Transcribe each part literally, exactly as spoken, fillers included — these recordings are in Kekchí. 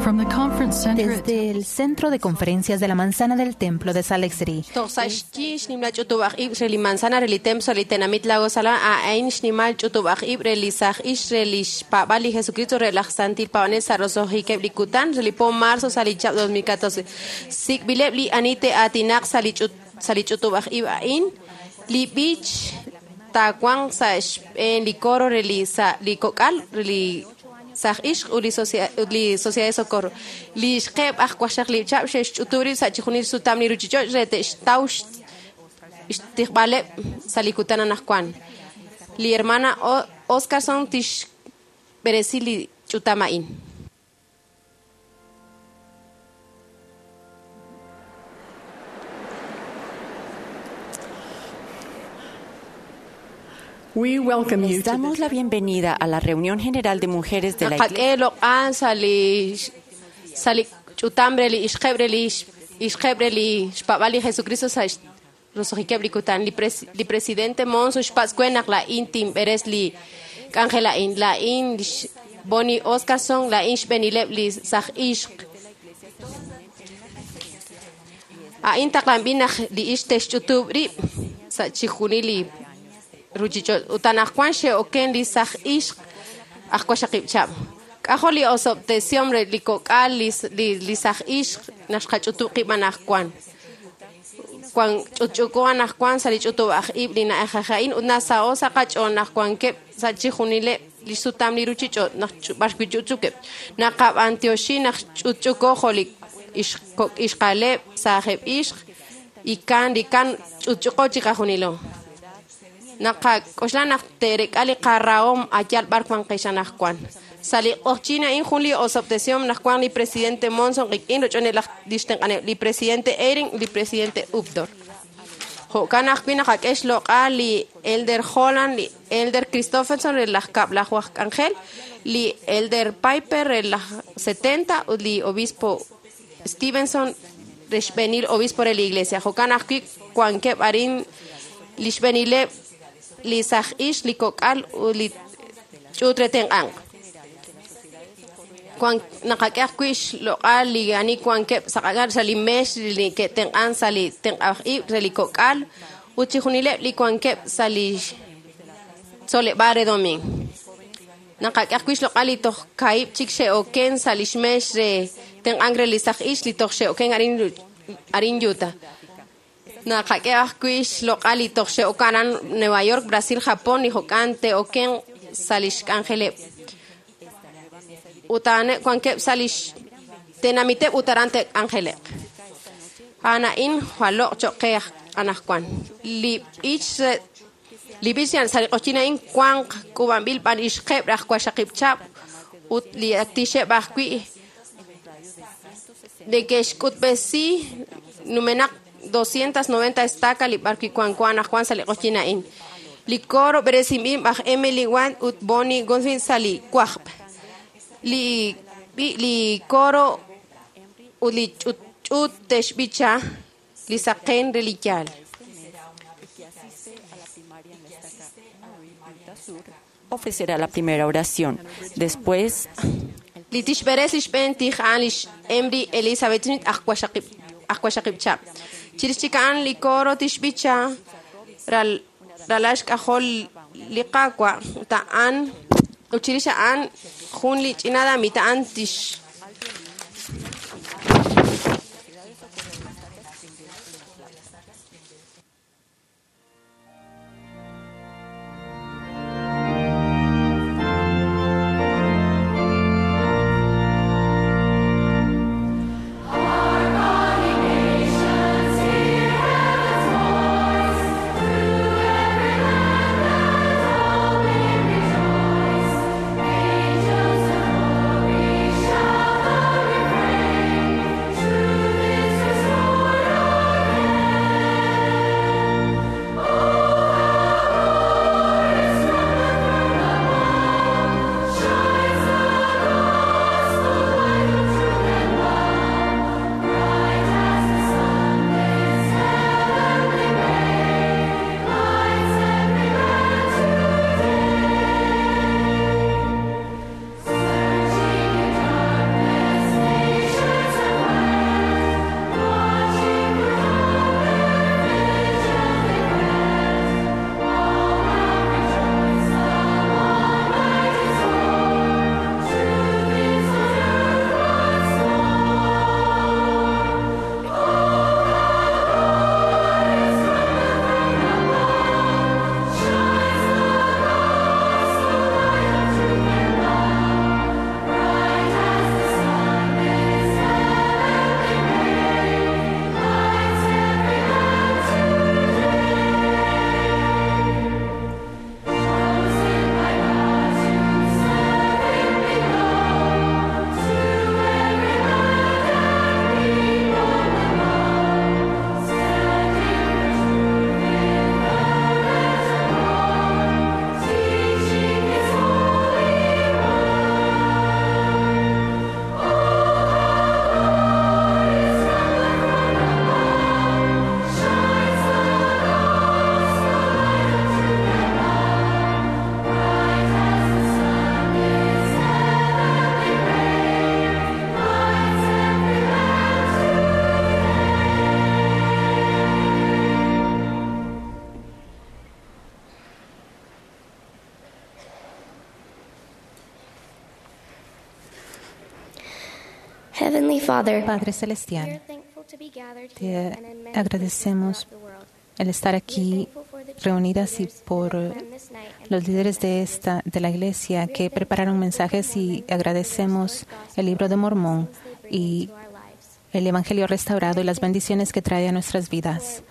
From the conference center at Desde el Centro de Conferencias de la Manzana del Templo de Salt Lake City, Toj sa' xyi xnimla ch'utub'aj ib' re li manzana re li templo sa' li tenamit Lago Salado a'in xnimal ch'utub'aj ib' re li saj ix re li xpaab'al li Jesucristo re laj Santil Paab'anel sa' roso'jikeb' li kutan re li po marzo sa' li chab' dos mil catorce. Sik'b'ileb' li ani te'aatinaq sa' li ch'ut sa' li ch'utub'aj ib' a'in li b'ich taawanq sa' xb'een li coro re li sa' li kok'al re li saj ixq ut li socia-, ut li Sociedad de Socorro. Li xqeb' aj waqxaqlib' chab' xe'xch'utub' rib' sa' chijunil sutam li ruchich'och' re te'xtaw xtijb'aleb' sa' li kutan anaqwan. Li hermana O-, Oscarson tixb'eresi li ch'utam a'in. We welcome you Les to damos this la bienvenida a la reunión general de mujeres de la Naqak'e Iglesia. loq'an sa' li sa' li ch'utam re li ixqeb' re li ixqeb' re li xpaab'al li Jesucristo sa' roso'jikeb' li kutan. Li pres-, li presidente Monson xpatz' we naq la'in tinb'eres li k'anjel a'in. La'in li Bonnie Oscarson, la'in xb'eenileb' li saj ixq. A'in taqlanb'il naq li ix te'xch'utub' rib' sa' chijunil li ruchich'och'. Ut anaqwan xe'oken li saj ixq aj waqxaqib' chab'. K'ajo' li osob'tesiom re li kok'al li s-, li, li saj ixq naq xqach'utub' qib' anaqwan. Wan ch'utch'uko anaqwan sa' li ch'utub' aj ib' li na'ajej a'in ut nasa'o sa' qach'ool naq wankeb' sa' chijunileb' li sutam li ruchich'och' naq ch'u-, b'ar wi' ch'utch'ukeb'. Naqab'antioxi naq ch'utch'uko jo' li ixq-, kok' ixqaleb' saajeb' ixq ikan li kan ch'utch'uko chiqajunilo. Naqak'oxla naq te'rek'a li qarahom ayal b'ar wanqex anaqwan. Sa' li q'oqchin a'in jun li osob'tesiom naq wan li presidente Monson qik'in roch'onel laj li xtenq'aneb' li presidente Eyring li presidente Uchtdorf. Jo'kan ajwi' naqak'e xloq'al li Elder Holland, li Elder Christofferson re laj kab'laju aj k'anjel, li Elder Piper re laj setenta ut li obispo Stevenson re xb'eenil obispo re li iglesia. Jo'kan ajwi' wankeb' arin li xb'eenileb' li saj ix, li kok'al ut li ch'uut re tenq'anq. Wan naqak'e ajwi' xloq'al li ani wankeb' sa' q'aq'al sa' li meex li ke'tenq'an sa' li tenq'aj ib' re li kok'al ut chijunileb' li wankeb' sa' li tzoleb'aal re domingo. Naqak'e ajwi' xloq'al li toj kaib' chik xe'oken sa' li xmeex re tenq'ank re li saj ix li toj xe'oken arin, arin Utah. Naqak'e ajwi' xloq'al li toj xe'okan aran Nueva York, Brasil, Japón li jo'kan te'oken sa' li xk'anjeleb'. Ut a'aneb' wankeb' sa' li xtenamiteb' ut aran te'k'anjeleq. A'an a'in jwaloq' cho'q qe anaqwan. Li b'ich re-, li b'ich sa' li q'oqyin a'in wanq k'uub'anb'il b'an ixqeb' raj waqxaqib' chab' ut li tixeb' ajwi' neke'xk'utb'esi numenaq doscientas noventa estaca li b'ar wi' wanko anaqwan sa' li q'oqyin a'in. Li coro b'eresinb'il b'aj Emily Wan ut Bonnie Goldfin sa' li wajb'. Li b'i-, li coro ut li ch'ut-, ch'ut te'xb'icha li saqen re li yaal. Ofrecerá la primera oración. Después, li tixb'eres li xb'een tij a'an li Emry Elizabeth Smith aj waqxaqib', aj waqxaqib' chab'. Chirix chik a'an li coro tixb'icha ral-, ralal xk'ajol li Qaawa' ut a'an ut chirix a'an jun li ch'ina damita a'an tix Angels of glory shine. Heavenly Father, Padre we are Celestial, thankful to be gathered te here and in many places agradecemos throughout the world. el estar We are aquí thankful for the church reunidas y leaders who por have planned this night and los líderes de prepared esta de la iglesia messages. We que are thankful prepararon for the mensajes y Mormon, for their agradecemos restored el gospel libro de and the Mormón blessings they bring y into our lives. el Evangelio restaurado y We are las thankful bendiciones que trae a nuestras vidas.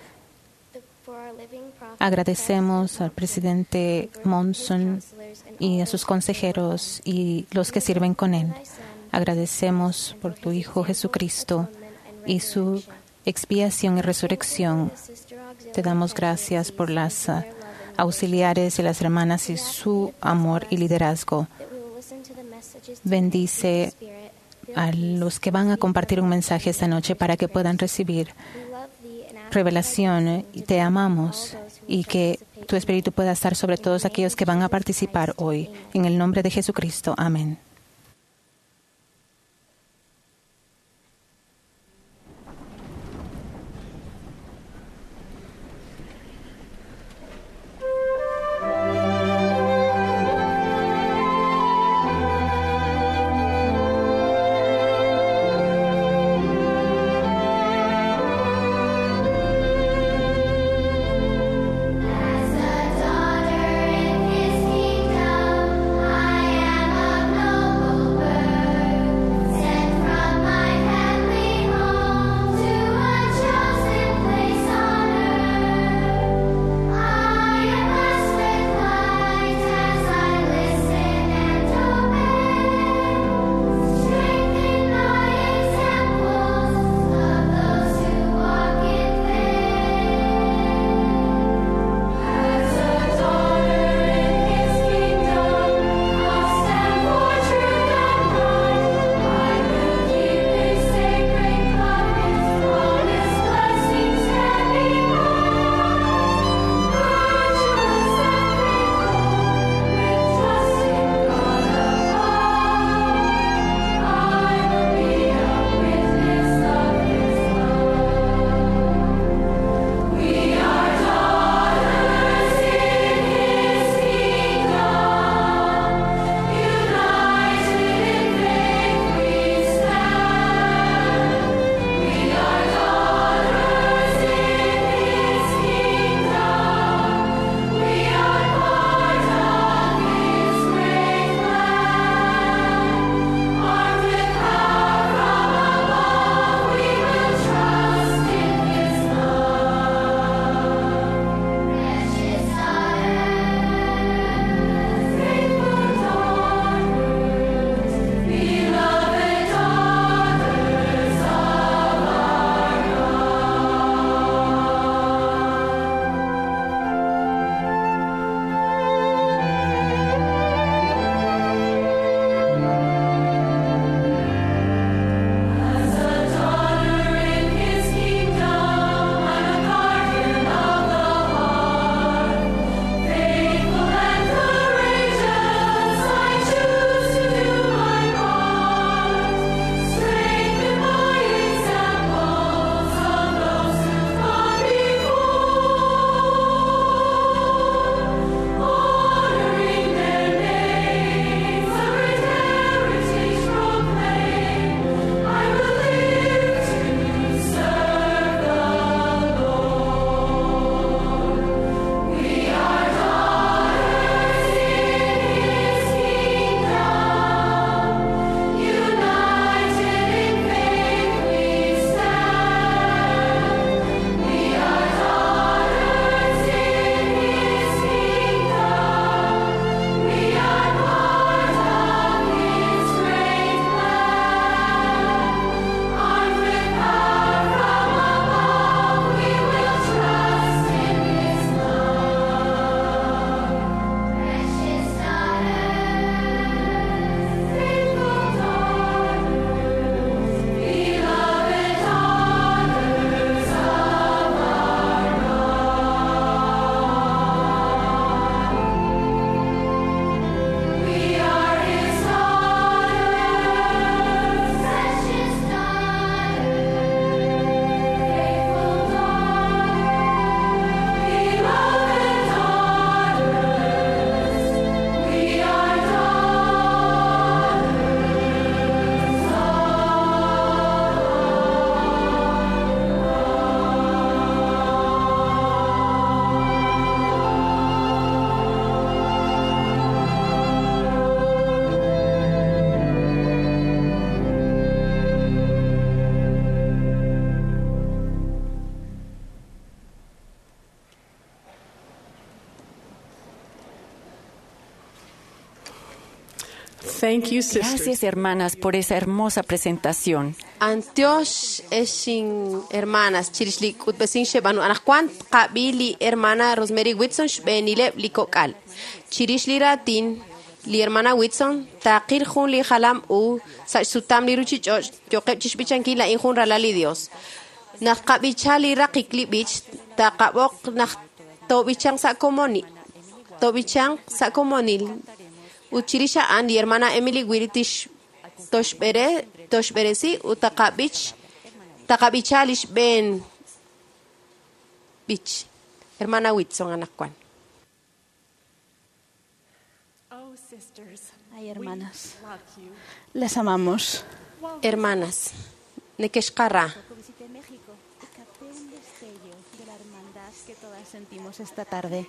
for the- for our living prophet, Agradecemos President al presidente Monson, and for his Monson counselors and y all a sus those who serve with him. consejeros y los We que are sirven thankful con for él. thy Son, Jesus, Agradecemos and por for tu his Hijo example, Jesucristo atonement, and y su resurrection. expiación y We are thankful for resurrección. the sister Te auxiliary damos gracias por presidencies and las for ah, their love and leadership. auxiliares y las hermanas y We ask thee su to bless amor y us, liderazgo. that we will listen to the messages tonight through the Bendice Spirit, feel a peace, los que van a receive compartir un revelation, mensaje and esta noche answers para to que puedan prayers. recibir We love thee and ask for thy revelación blessing y to te be with all amamos those who will y que participate tu espíritu tonight. pueda estar sobre In the todos name aquellos of que van a Jesus participar Christ, hoy. amen. En el nombre de Jesucristo. Amén. As a daughter in his kingdom, I am of no Thank you, sisters. Gracias, hermanas, por esa hermosa presentación. Antiox exin hermanas chirix li k'utb'esin xeb'anu anaqwan qab'i li hermana Rosemary Whitson xb'eenileb' li kok'al. Chirix li raatin li hermana Whitson taqil jun li jalam u sa' xsutam li ruchich'och' yoqeb' chixb'ichankil la'in jun ralal li Dios. Naq qab'icha li raqik li b'ich taqab'oq naq tob'ichan sa' komoni tob'ichan sa' komonil ut chirix a'an li hermana Emily Will tix toxb'ere toxb'eresi ut taqab'ich taqab'icha lix b'een b'ich. Hermana Whitson anaqwan. Oh, sisters, Ay, hermanas, we love you. las amamos. Hermanas, nekexqarra. Poco visité México y capté un destello de la hermandad que todas sentimos esta tarde.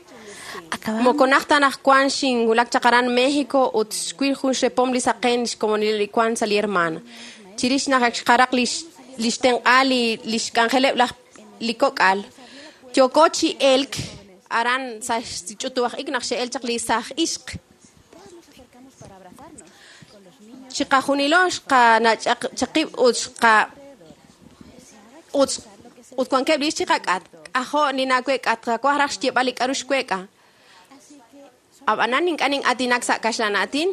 Acabamos Mokonaj tanajkuan xinwulak chaq aran México ut xwil jun xrepom li saqen xkomonil li kuan sa li hermana. Chirix naq ak xqaraq lix lix tenq'a li lix k'anjeleb' laj li kok'al. Yoko chi elk aran sa xch'utuwaj ik naq xe'el chaq li saj ixq. todas nos acercamos para abrazarnos con los niños Chiqajunilo xqanach'aq chaqib' ut xqa ut ut wankeb' lix chiqak'at. Ajo' ninawek'at qawaj raj xyeeb'al li k'aru xwek'a. Así que Ab'anan ink'a' nin'atinak sa' kaxlan aatin.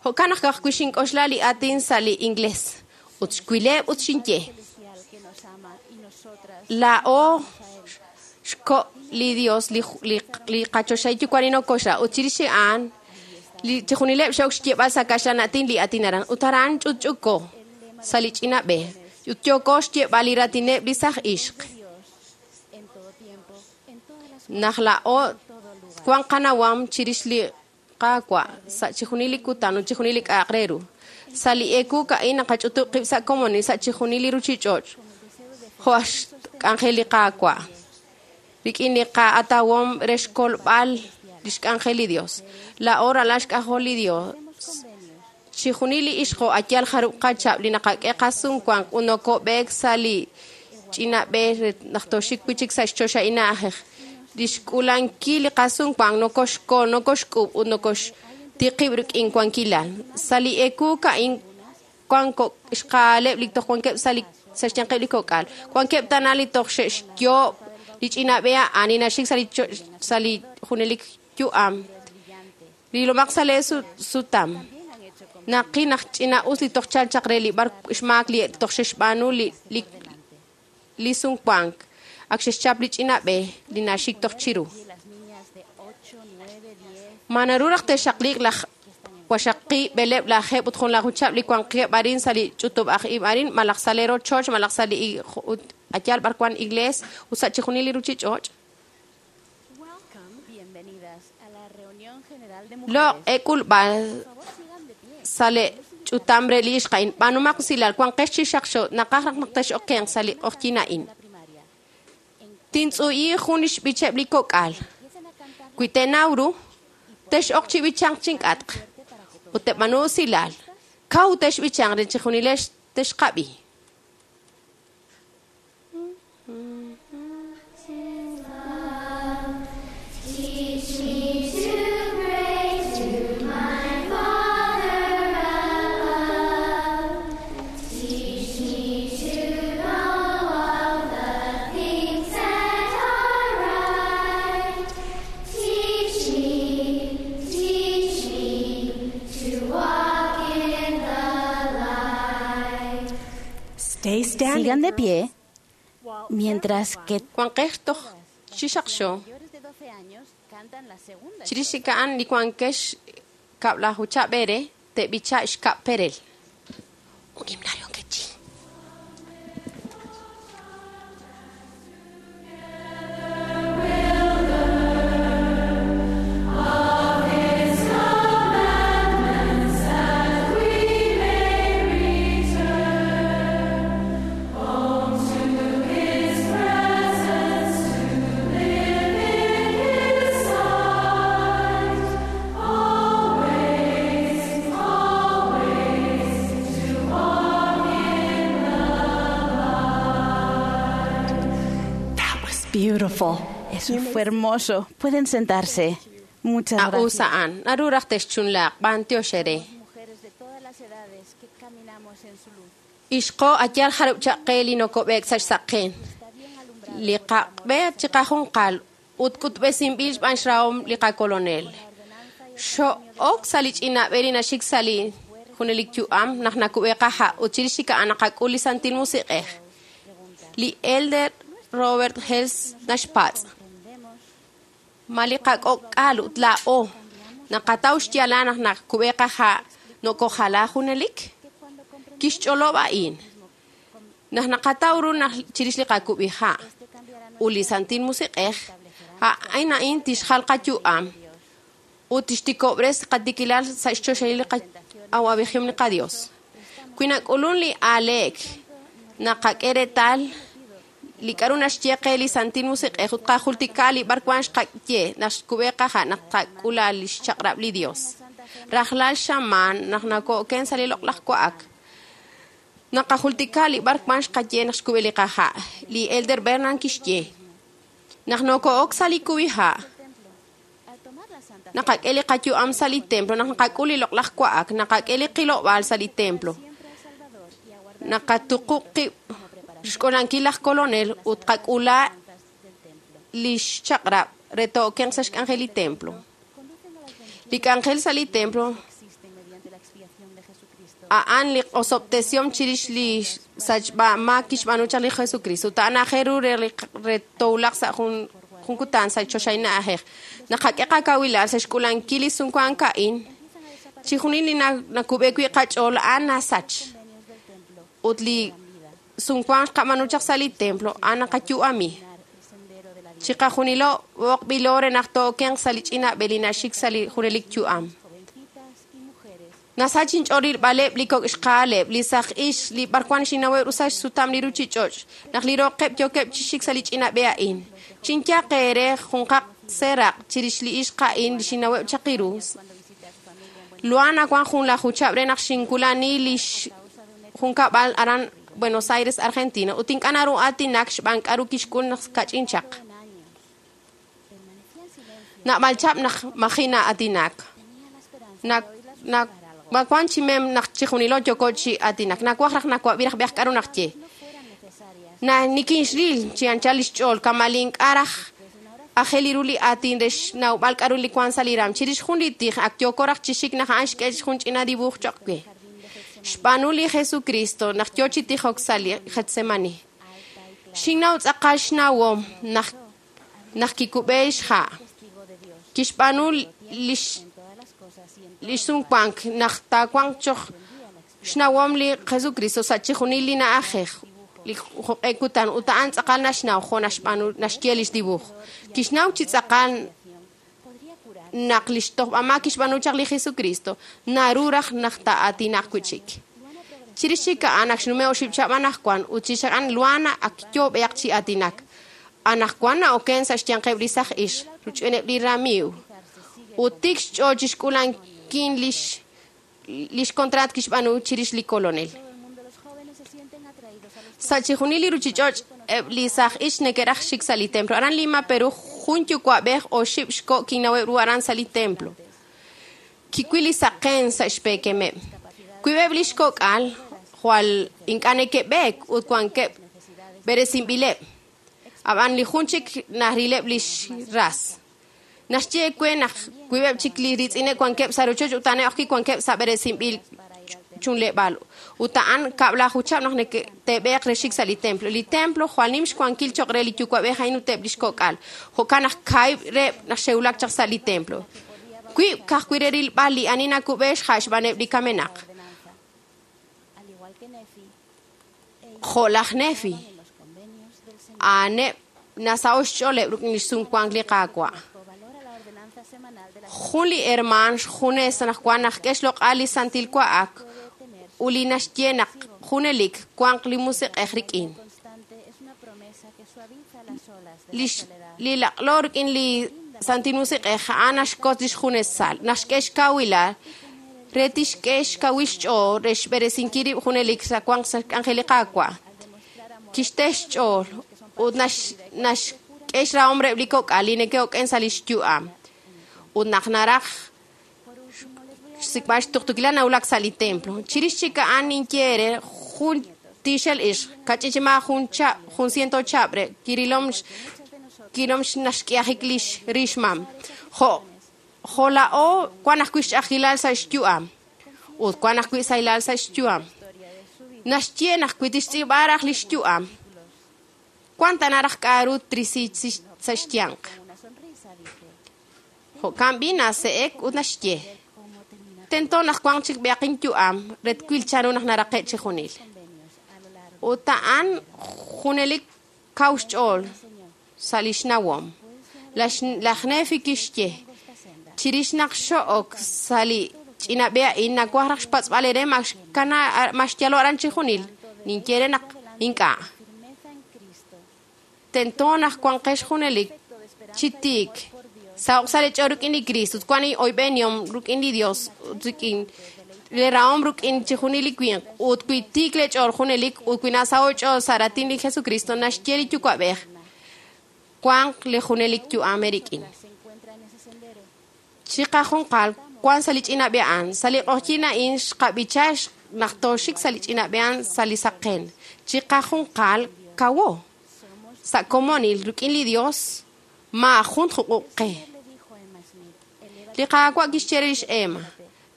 Jo'kan naq kajwi' xink'oxla li aatin sa' li inglés. Ut xwileb' ut xinye. celestial que nos ama y nosotras La'o xko' li Dios li li li qachoxay yuwa' ninokoxla. Ut chirix a'an li chijunileb' xe'ok xyeeb'al sa' kaxlan aatin li aatin aran. Ut aran ch'utch'uko sa' li ch'ina b'e. Ut yoko xyeeb'al li raatineb' li saj ixq. Dios en todo tiempo, en todas las Naq la'o wan qanawam chirix li Qaawa' sa' chijunil li kutan ut chijunil li k'a'aq re ru. Sa' li eekuk a'in naqach'utub' qib' sa' komonil sa' chijunil li ruchich'och' jo' aj xk'anjel li Qaawa'. Rik'in li qa'atawom re xkolb'al li xk'anjel li Dios. La'o ralal xk'ajol li Dios. Chijunil li ixqo ayal jarub' qachab' li naqak'e qasumwank ut nokob'eek sa' li ch'ina b'e re naq toxik wi' chik sa' xchoxahil na'ajej. Li xk'ulankil li qasumwank nokoxkol, nokoxk'ub' ut nokoxtiqib' rik'in wankilal. Sa' li eekuk a'in wan ko- xqaaleb' li toj wankeb' sa' li sa' xyanqeb' li kok'al. Wankeb' tana li toj xe'xyoob' li ch'ina b'e a'an li naxik sa' li cho- sa' li junelik yu'am. Rilomaq sa' lee su- sutam. Naqi naq ch'ina us li toj chal chaq re li b'ar xmaak li toj xe'xb'aanu li li li sumwank. Ak xe'xchap li ch'ina b'e li naxik toj chiru. y las niñas de ocho, nueve, diez Ma naru raj te'xaqliiq laj waxaqi b'eleb' lajeeb' ut jun lajuchab' li wanqeb' arin sa' li ch'utub' aj ib' arin malaj sa' le rochoch malaj sa' li i- ut ayal b'ar wan iglees ut sa' chijunil li ruchich'och'. Welcome, bienvenidas a la reunión general de Loq' mujeres. ek'ulb'al Por favor, sigan de pie. sa' le ch'utam re li ixq a'in b'anumaq usilal wanqex chi xaqxo naqaj raj naq tex'okenq sa' li q'oqyin a'in. La primaria. Tintz'uyi jun li xb'icheb' li kok'al. Empiecen a cantar Wi te'naw ru, tex'oq chi b'ichanq chink'atq. Ut te'b'anu usilal. Kaw texb'ichanq re chijunilex texqab'i. Teach me to pray to my Father above. Teach me to know all the things that are right. Teach me, teach me to walk in the light. Stay standing. Sigan de pie mientras que Wanqex toj chi xaqxo. mayores de doce años cantan la segunda Chirix ika'an li wankex kab'lajuchab' b'ere te'b'icha' xkab' perel. Un himnario quechí. That was beautiful. Eso fue hermoso. Pueden sentarse. Muchas gracias. A'usa'an naru raj texchunlaaq b'antiox ere. Mujeres Ixqo ayal jarub' chaq qe li nokob'eek sa' xsaqen. Li qaqb'e chiqajunqal ut k'utb'esinb'il xb'aan xrahom li qakolonel. Xo'ok sa' li ch'ina b'e li naxik sa' li junelik yu'am naq nakub'e qaha' ut chirix chik a'an naqak'ul li Santil Musiq'ej. Li Elder Robert Hales naxpatz'. Ma li qak'ok'al ut laa'o naqataw xyaalal naq nakub'e qaha' nokojala junelik? Kixch'olob' a'in. Naq naqataw ru naq chirix li qakub'iha' ut li Santil Musiq'ej, a'in a'in tixjal qayu'am ut tixtikob'res qatikilal sa' xchoxahil li qa'awab'ejihom li qaDios. Wi nak'ulun li aaleek naqak'e reetal li k'aru naxye qe li Santil Musiq'ej ut qajultika li b'arwan xqaye naq xkub'e qaha' naq qak'ula li xchaq'rab' li Dios. Rajlal xamaan naq nako'ken sa' li loq'laj wa'ak. Naqajultika li b'arwan xqaye naq xkub'e li qaha'. Li Elder Bernard kixye. Naq noko'ok sa' li kub'iha', naqak'e li qayu'am sa' li templo, naq naqak'ul li loq'laj wa'ak, naqak'e li qilob'aal sa' li templo. Naqatuqub' qib' xk'olankil laj kolonel ut qak'ula li xchaq'rab' re to'okenq sa' xk'anjel li templo. Li k'anjel sa' li templo a'an li osob'tesihom chirix li sachb'amaak kixb'aanu chaq li Jesucristo. Ut a'an aajel ru re li re towulaq sa' jun jun kutan sa' choxahil na'ajej. Naqak'e qakawilal sa' xk'ulankil li sumwank a'in, chijunil li nakub'e wi' qach'ool a'an nasach. Ut li sumwank xqab'aanu chaq sa' li templo a'an naqayu'ami. Chiqajunilo b'oqb'ilo re naq to'okenq sa' li ch'ina b'e li naxik sa' li junelik yu'am. Nasach inch'ool rilb'aleb' li kok' xqaaleb', li saj ix, li b'arwan xinaweb' ru sa' xsutam li ruchich'och', naq li roqeb' yookeb' chi xik sa' li ch'ina b'e a'in. Chinyaq eere junqaq seeraq' chirix li ixq a'in li xinaweb' chaq iru. Luana wan jun laj juchab' re naq xinkulani li junkab'al aran Buenos Aires, Argentina, ut ink'a' naru aatinak xb'aan k'aru kixk'ul naq kach'in chaq. Nab'al chab' naq maji' na'aatinak. Nak nak mawan chi mem naq chijunilo yooko chi aatinak. Nawaj raj nawab'i raj b'eaj k'aru naq ye. Na nikinxril chi anchal lix ch'ool kama' li ink'a' raj aajel ru li aatin re xnawb'al k'aru li wan sa' li ram. Chirix jun li tij ak yooko raj chi xik naq a'an xk'e jun ch'ina dibuj choq' we. Xb'aanu li Jesucristo naq yo chi tijok sa' li Getsemani. Xinnaw tz'aqal xnawom naq naq kikub'e xha'. Kixb'aanu lix lix sumwank naq taawanq choq xnawom li Jesucristo sa' chijunil li na'ajej li joq'e kutan ut a'an tz'aqal naxnaw jo' naxb'aanu naxye lix dibuj. Kixnaw chi tz'aqal naq lix tojb'amaak kixb'aanu chaq li Jesucristo naru raj naq taa'aatinaq wi' chik. Chirix chik a'an ak xnume oxib' chab' anaqwan ut chirix a'an Luana ak yo b'eaq chi aatinak. Anaqwan na'oken sa' xyanqeb' li saj ix ruch'ineb' li ramiiw. Ut tik xch'ool chi xk'ulankil lix lix contrat kixb'aanu chirix li kolonel. Sa' chijunil li ruchich'och' eb' li saj ix neke'raj xik sa' li templo. Aran Lima, Perú, jun yuwa'b'ej oxib' xko' kinnaweb' ru aran sa' li templo. Kiwil li saqen sa' xpeekemeb'. Wiib'eb' li xkok'al jwal ink'a' neke'b'eek ut wankeb' b'eresinb'ileb'. Ab'an li jun chik narileb' lix ras. Naxye we naq wiib'eb' chik li riitz'ineb' wankeb' sa' rochoch ut a'aneb' ajwi' wankeb' sa' b'eresinb'il chunleb'aal. Ut a'an kab'laju chab' naq neke'teeb'eeq re xik sa' li templo. Li templo jwal nim xwankil choq' re li yuwa'b'ej a'in ut eb' lix kok'al. Jo'kan naq kaahib' reheb' naq xe'wulak chaq sa' li templo. Wiib' ka'ajwi' re rilb'al li ani nakub'e xha' xb'aaneb' li kamenaq. Jo' laj Nefi, a'aneb' nasa'o xch'ooleb' rik'in li xsumwank li Qaawa'. Jun li hermaan xjunes naq wan naq k'e xloq'al li Santil Wa'ak ut li naxye naq junelik wanq li Musiq'ej rik'in. Lix li laq'lo rik'in li Santil Musiq'ej a'an naxkot lix junesal, naxk'e xkawilal re tixk'e xkawil xch'ool re xb'eresinkil rib' junelik sa' wanq sa' xk'anjel li Qaawa'. Kixte xch'ool ut nax naxk'e xrahom reheb' li kok'al li neke'oken sa' lix yu'am. Ut naq naraj xsik'b'al xtuqtuukilal nawulak sa' li templo. Chirix chik a'an ninye re jun tixel ix kach'ichima jun chab jun ciento chab' re kirilom kirilom naxk'iajik lix rixmam. Jo' jola'o wan ajwi' xch'ajilal sa' xyu'am ut wan ajwi' sahilal sa' xyu'am. Naxye naq wi tixtz'iib'a raj li xyu'am wan tana raj k'a'ru trisi sa' xyanq. Jo'kan b'i nase'ek ut naxye tento naq wan chik b'eaqin yu'am re twil chanru naq naraqe' chi junil. Ut a'an junelik kaw xch'ool sa' li xnawom. Laj Nefi kixye chirix naq xo'ok sa' li ch'ina b'e a'in nawaj raj xpatz'b'al ere ma xkana ma xyalo aran chi junil. Ninye re naq ink'a'. Tento naq wanqex junelik chi tiik saoq sa' li ch'ool rik'in li Cristo ut wan oyb'enihom rik'in li Dios ut rik'in le rahom rik'in chi junil li winq ut wi tiik le ch'ool junelik ut wi nasaho' ch'ool sa' raatin li Jesucristo naxye li Yuwa'b'ej wanq li junelik yu'am eerik'in. Chiqajunqal wan sa' li ch'ina b'e a'an sa' li q'oqyin a'in xqab'icha naq tooxik sa' li ch'ina b'e a'an sa' li saqen. Chiqajunqal kawo sa' komonil rik'in li Dios maajun juq'uq qe. Li Qaawa' kixye re lix Emma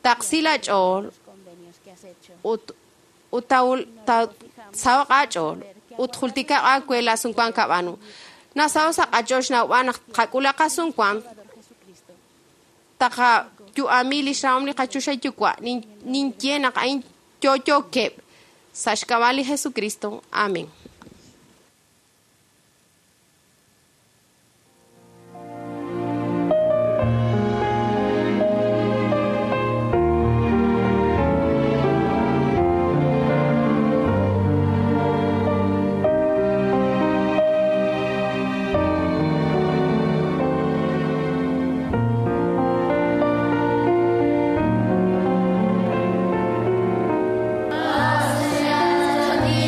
taqsi la ch'ool ut ut tawul sahoq aach'ool ut jultikaq aawe la sumwank kab'aanu. Nasaho sa' qach'ool xnawb'al naq qak'ulaq qasumwank taqayu'ami li xrahom li qachoxahil Yuwa' ninye naq a'in yo'yookeb' sa' xk'ab'a' li Jesucristo. Amén. All the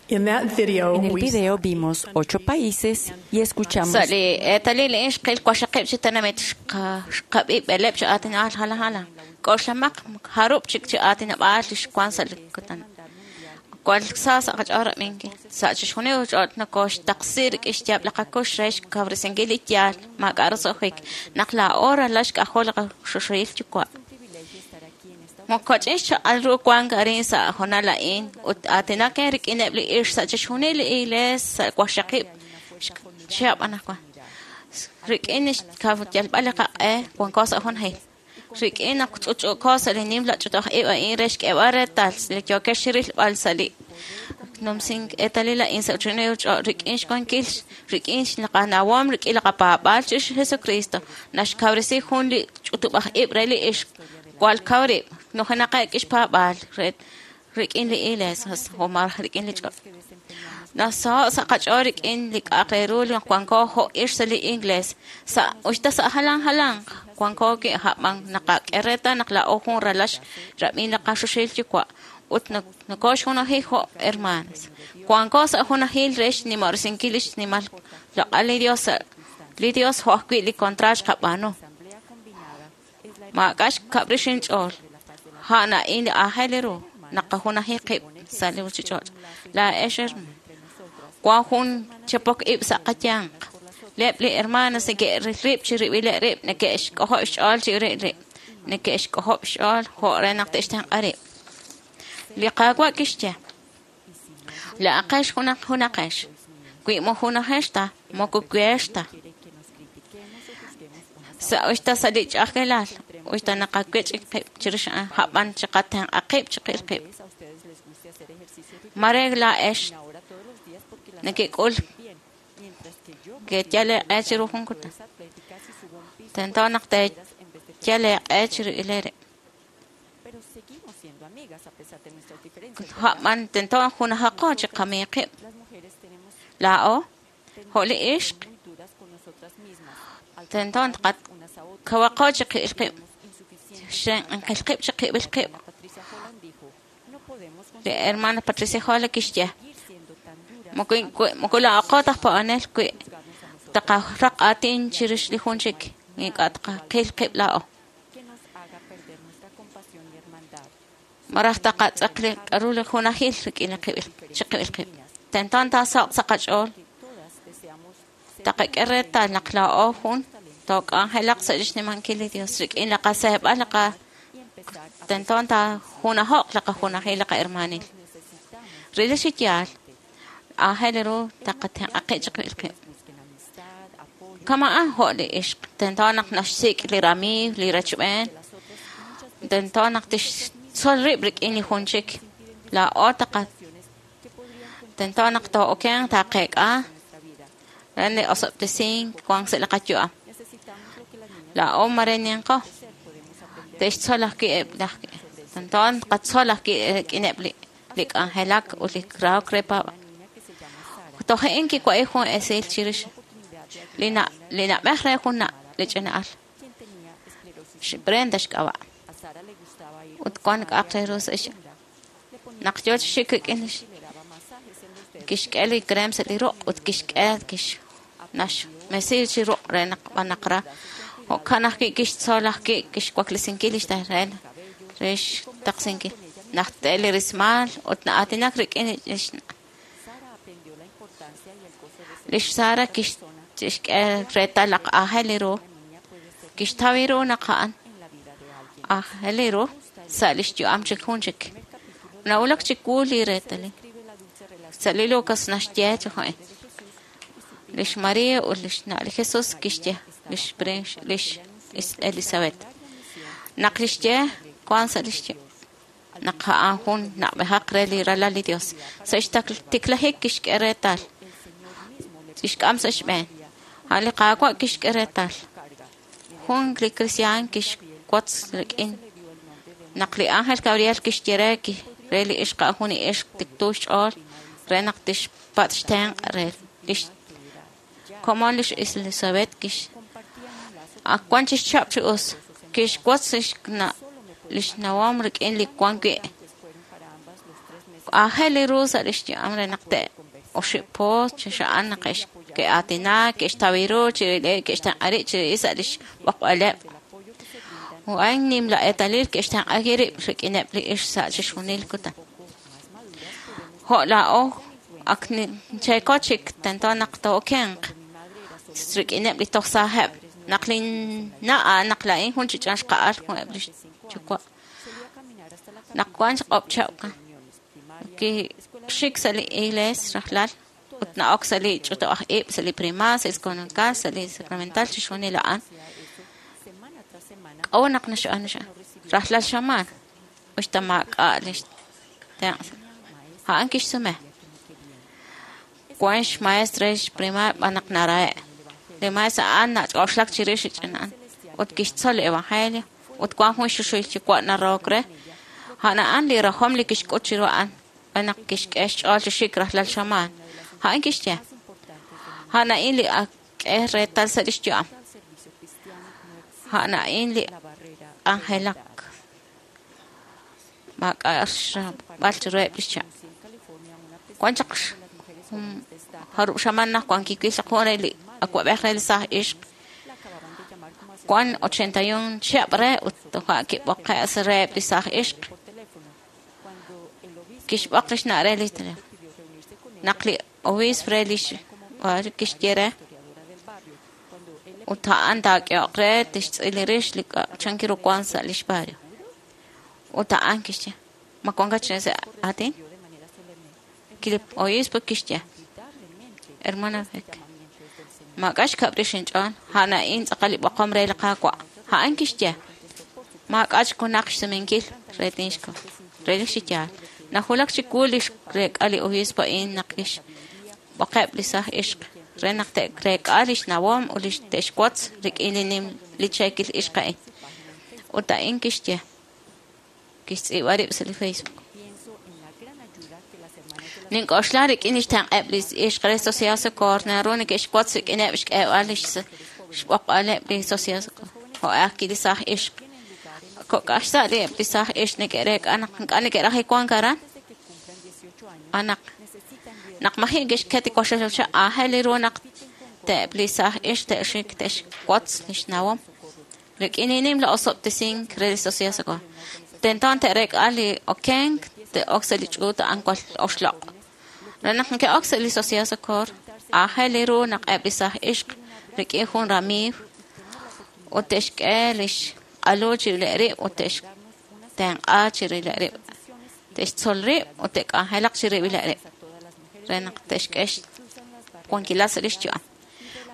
In that video, En el we video vimos ocho países y escuchamos Sa' li eetalil a'in xqil waqxaqib' chi tenamit xqa- xqab'i b'eleb' chi aatinob'aal jalan jalan. K'oxlamaq jarub' chik chi aatinob'aal li xwan sa' li kutan. Wal sa sa' qach'ool rab'inkil. Sa' chixjunil ch'och' nokoxtaqsi rik'in xyaab' li qakux re xkawresinkil li yaal maak'a' roso'jik naq laa'o ralal xk'ajol li qaxoxohil yuwa'. Moko ch'in xchaq'al ru wank arin sa' hoonal a'in ut aatinak rik'ineb' li ixq sa' chixjunil li iglees sa' waqxaqib' chihab' anaqwan. Rik'in xkawyalb'al li qaq'e wanko sa' junajil. Rik'in naq ch'utch'uuko sa' li nimla ch'utoj ib' a'in re xk'eeb'al reetal li yookex rilb'al sa' li numsink eetalil a'in sa' chunil ch'och' rik'in xwankil rik'in xqanawom rik'in li qapaab'aal chirix Jesucristo naxkawresi jun li ch'utub'aj ib' re li ixq wal kaw rib' nujenaqeb' k'ixpaab'aal re rik'in li iglees o malaj rik'in li ch'och'. Nasaho' sa' qach'ool rik'in li k'a'aq re ru li wanko jo' ixq sa' li iglees sa' uxta sa' jalan jalanq wanko wi' hab'an naqak'e reetal naq laa'o jun ralal rab'in li qaxuxil yuwa' ut nokoxjunaji jo' hermanas. Wanko sa' junajil re xnimorisinkil li xnimal loq'al li Dios sa' li Dios jo' ajwi' li kontraat xqab'aanu. Maak'a' xkab'rix inch'ool. A'an a'in li aajel ru naqajunaji qib' sa' li ruchich'och'. Laa'ex hermano. Wan jun chapok ib' sa' qayanq. Leb' li hermanas neke'ril rib' chi rib'ileb' rib' neke'xk'ojob' xch'ool chi rib' rib'. Neke'xk'ojob' xch'ool jo' re naq te'xtenq'a rib'. Li Qaawa' kixye. La'aqex junaq junaqex. Wi mojunajex ta, moko weex ta. Sa' uxta sa' li ch'a'ajkilal, uxta naqawech' qib' chirix a'an, hab'an chiqatenq'a qib' chiqil qib'. Mare laa'ex nekek'ul ke'yal eeq'e chiru jun kutan. Tento naq teeyal eeq'e chiru rib'. Hab'an tento junajaqo chiqamiiq qib'. Laa'o, jo' li ixq, tento kawaqo chiqil qib'. Xenqil qib' chiqib'il qib'. Li hermana Patricia Jola kixye. Moko la'aqo taj pa'anel wi' taqaraq aatin chirix li jun chik ink'a' taqaqil qib' laa'o. Maraj taqatz'aq li k'aru li junajil rik'in li qib'il chiqib'il qib'. Tento taasoq' sa' qach'ool. Taqak'e reetal naq laa'o jun took'anjelaq sa' xnimankil li Dios rik'in li qaseeb'al li qa tento taajunajo'q li qajunajil li qahermanil. Rili chi yaal aajel ru taqatenq'a qib' chiqib'il qib'. Kama'an jo' li ixq tento naq naxsik' li ramiiw li rechb'een. Tento naq tixtzol rib' rik'in li jun chik. Laa'o taqa tento naq too'okenq taqeek'a re li osob'tesink wank sa' li qayu'am. Laa'o mare ninqo te'xtzol ajwi' eb' laj tento tqatzol ajwi' rik'ineb' li li k'anjelak ut li rahok re paab'aal. Toje'in kiwa'i jun esil chirix li na li na'b'ej re jun na' li ch'ina'al. Brenda xk'ab'a'. Ut wan k'a'aq re ru sa' x naq yoo chi xik rik'in lix kixk'e li crem sa' li ruq' ut kixk'e kix naxmesi chi ruq' re naq b'anaq ra. Jo'kan ajwi' kixtzol ajwi' kixwaklesinkil lix re re xtaqsinkil. Naq te li rismaal ut na'aatinak rik'in lix lix Sara kixk'e reetal naq aajel ru kixtaw ru naq a'an aajel ru sa' lix yu'am chik jun chik. Nawulak chiwu li reetalil. Sa' li Lucas naxye chi jo'in. Lix Maria ut lix na' li Jesus kixye lix lix Elizabeth. Naq lixye wan sa' lix naq a'an jun na'b'ejaq re li ralal li Dios. Sa' xtiklajik kixk'e reetal. Kixk'am sa' xb'een. A'an li Qaawa' kixk'e reetal. Jun li kristiaan kixwotz rik'in. Naq li ángel Gabriel kixye re re li ixq a'an jun ixq tiktu xch'ool re naq tixpatz' xtenq' re lix komon lix Elizabeth kix ak wan chixchap chi us kixwotz lix na lix nawom rik'in li wan wi' Aajel ru sa' lix yu'am re naq te oxib' po chixa'an naq ke'aatinak ke'xtaw ru chi ke'xtenq'a rib' chi sa' lix b'oqb'aleb'. A'in nimla eetalil ke'xtenq'a rib' rik'ineb' li ixq sa' chixjunil kutan. Jo' laa'o ak cheeko chik tento naq too'okenq rik'ineb' li toj saajeb'. Naq linna' naq laa'in jun chi ch'an xqa'al eb' lix yuwa'. Naq wan xq'ob' chab' kixik sa' li iglees rajlal ut na'ok sa' li ch'utub'aj ib' sa' li primaria, sa' li escolancal, sa' li sacramental chixjunil a'an. K'a'ut naq naxb'aanu rajlal xamaan uxta maak'a' lix tenq'. A'an kixsume. Wan xmaestro re xprimaria b'an naq narahe'. Li maestro a'an nach'oxlak chirix li ch'ina'an ut kixtzol li evangelio ut wan jun xuxuy yuwa' narahok re. A'an a'an li rajom li kixk'ut chiru a'an b'an naq kixk'e xch'ool chi xik rajlal xamaan. A'an kixye. A'an a'in li ak'e reetal sa' lix yu'am. A'an a'in li k'anjelak. Maak'a' xrab'al chiruheb' lix chaq. Wan chaq jarub' xamaan naq wan kiwil chaq jun re li awa'b'ej re li saaj ixq. Wan ochenta y un chihab' re ut toja' kib'oqe' sa' reheb' li saaj ixq. Kixb'oq lix na' re li teléfono. Naq li obispo re lix kixye re ut a'an taak'ehoq re tixtz'il rix li chan kiru wan sa' lix barrio. Ut a'an kixye ma wankat chi sa' aatin. Li obispo kixye hermana Beck maak'a' xkab' rix inch'ool a'an a'in tz'aqal li b'oqom re li Qaawa'. A'an kixye maak'a' chkunaq xsumenkil re tinxko re li xiyaal. Najulak chiwu li xreek'a li obispo a'in naq kixb'oqeb' li saaj ixq re naq te'reek'a lix nawom ut li te'xwotz rik'in li nim li cheekil ixq a'in. Ut a'in kixye kixtz'iib'a rib' sa' li Facebook. Nink'oxla rik'in lix tenq'eb' li ixq re Sociedad Socorro naru neke'xwotz rik'ineb' xk'eeb'al lix xb'oqb'aleb' li Sociedad Socorro. Jo' ajwi' li saaj ixq. Kok'aj xsa' li eb' li saaj ixq neke'reek'a naq ink'a' neke'raj wank aran. Anaq naq maji' ke'xket li waxaxocha aajel ru naq te'eb' li saaj ixq te'xik te'xwotz lix nawom. Rik'in li nimla osob'tesink re li Sociedad Socorro. Tento te'reek'a li okenk te'ok sa' li ch'uut a'an wal oxloq'. Re naq neke'ok sa' li Sociedad Socorro aajel ru naq eb' li saaj ixq rik'in jun ramiiw ut te'xk'e lix q'alu chirileb' rib' ut te'xtenq'a chirileb' rib'. Te'xtzol rib' ut te'k'anjelaq chirib'ileb' rib' re naq te'xk'e xwankilal sa' lix yu'am.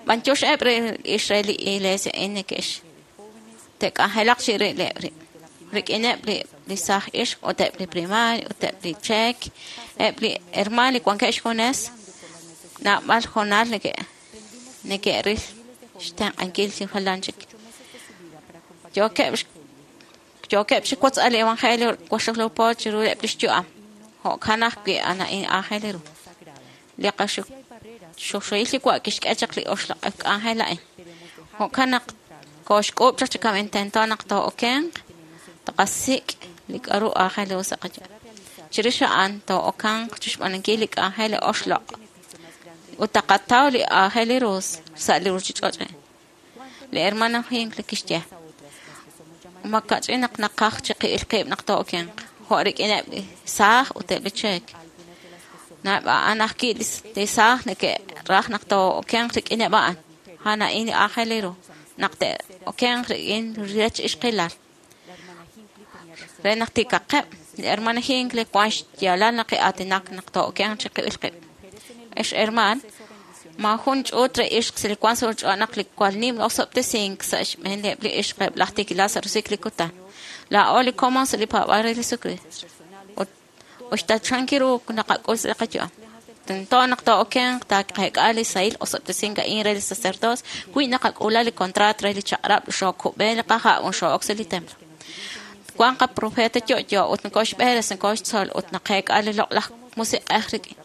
B'antiox eb' re ix re li iglesia a'in neke'x te'k'anjelaq chirileb' rib' rik'ineb' li li saaj ixq ut eb' li primaria ut eb' li cheek eb' li hermaan li wankeb' xjunes naab'al jonal neke' neke'ril xtenq'ankil chi jalan chik. Yookeb' yookeb' chi wotz'al li evangelio waxaqlo po chiru eb' lix yu'am. Jo'kan ajwi' a'an a'in aajel ru. Li qaxuxuhil yuwa' kixk'e chaq li oxloq' k'anjel a'in. Jo'kan naq kooxk'uub' chaq chi kam intento naq too'okenq taqasik' li k'aru aajel ru sa' qayu'am. Chirix a'an too'okanq chixb'aanunkil li k'anjel li oxloq' ut taqataw li aajel ru sa' li ruchich'och'. Li hermana Hinckley kixye ma kach'in naq naqaj chiqi'il qib' naq too'okenq jo' rik'ineb' li saaj ut eb' li cheek. Naab' a'an ajwi' li saaj neke'raj naq too'okenq rik'ineb' a'an. A'an a'in li aajel ru naq te'okenq rik'in rech ixqilal. Re naq tikaqeb' li hermana Hinckley wan xyaalal naq ki'aatinak naq too'okenq chiqi'il qib'. Ex hermaan, ma jun ch'uut re ixq sa' li wan sa' ch'och' naq li cual nim osob'tesink sa' xb'een li ixq eb' laj tikilal sa' rusik li kutan. Laa'o li komon sa' li paab'aal re Jesucristo. Ut uxta chan kiru naqak'ul sa' li qayu'am. Tento naq too'okenq taaqeek'a li sahil osob'tesink a'in re li sacerdocio wi naqak'ula li contrato re li chaq'rab' xookub'e li qaha' ut xoo'ok sa' li templo. Wan qaprofeta yo'yo ut nokooxb'eres nokooxtzol ut naqeek'a li loq'laj musiq'ej rik'in.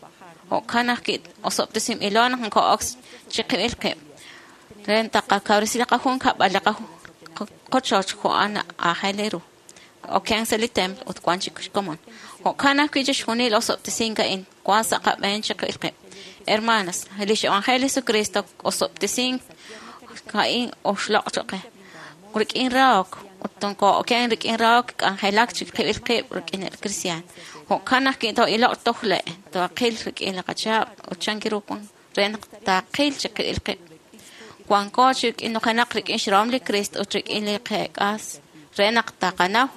Jo'kan ajwi' osob'tesinb'ilo naq nokoo'ok chiqib'il qib'. Re taqakawresi li qajunkab'al li qochoch jo'an aajel ru. okenk sa' li templo ut wan chik xkomon. Jo'kan ajwi' chixjunil osob'tesink a'in wan sa' qab'een chiqil qib'. Hermanas, lix Evangelio Jesucristo osob'tesink a'in oxloq' choq' qe. Rik'in rahok ut tonkoo'oken rik'in rahok k'anjelak chiqib'il qib' rik'in el cristian. Jo'kan ajwi' too'iloq tojle' toaqil rik'in li qachaab' ut chan ru wan re naq taaqil chiqib'il qib'. Wanko chi rik'in nujenaq rik'in xrahom li Cristo ut rik'in li qeek'as re naq taqanaw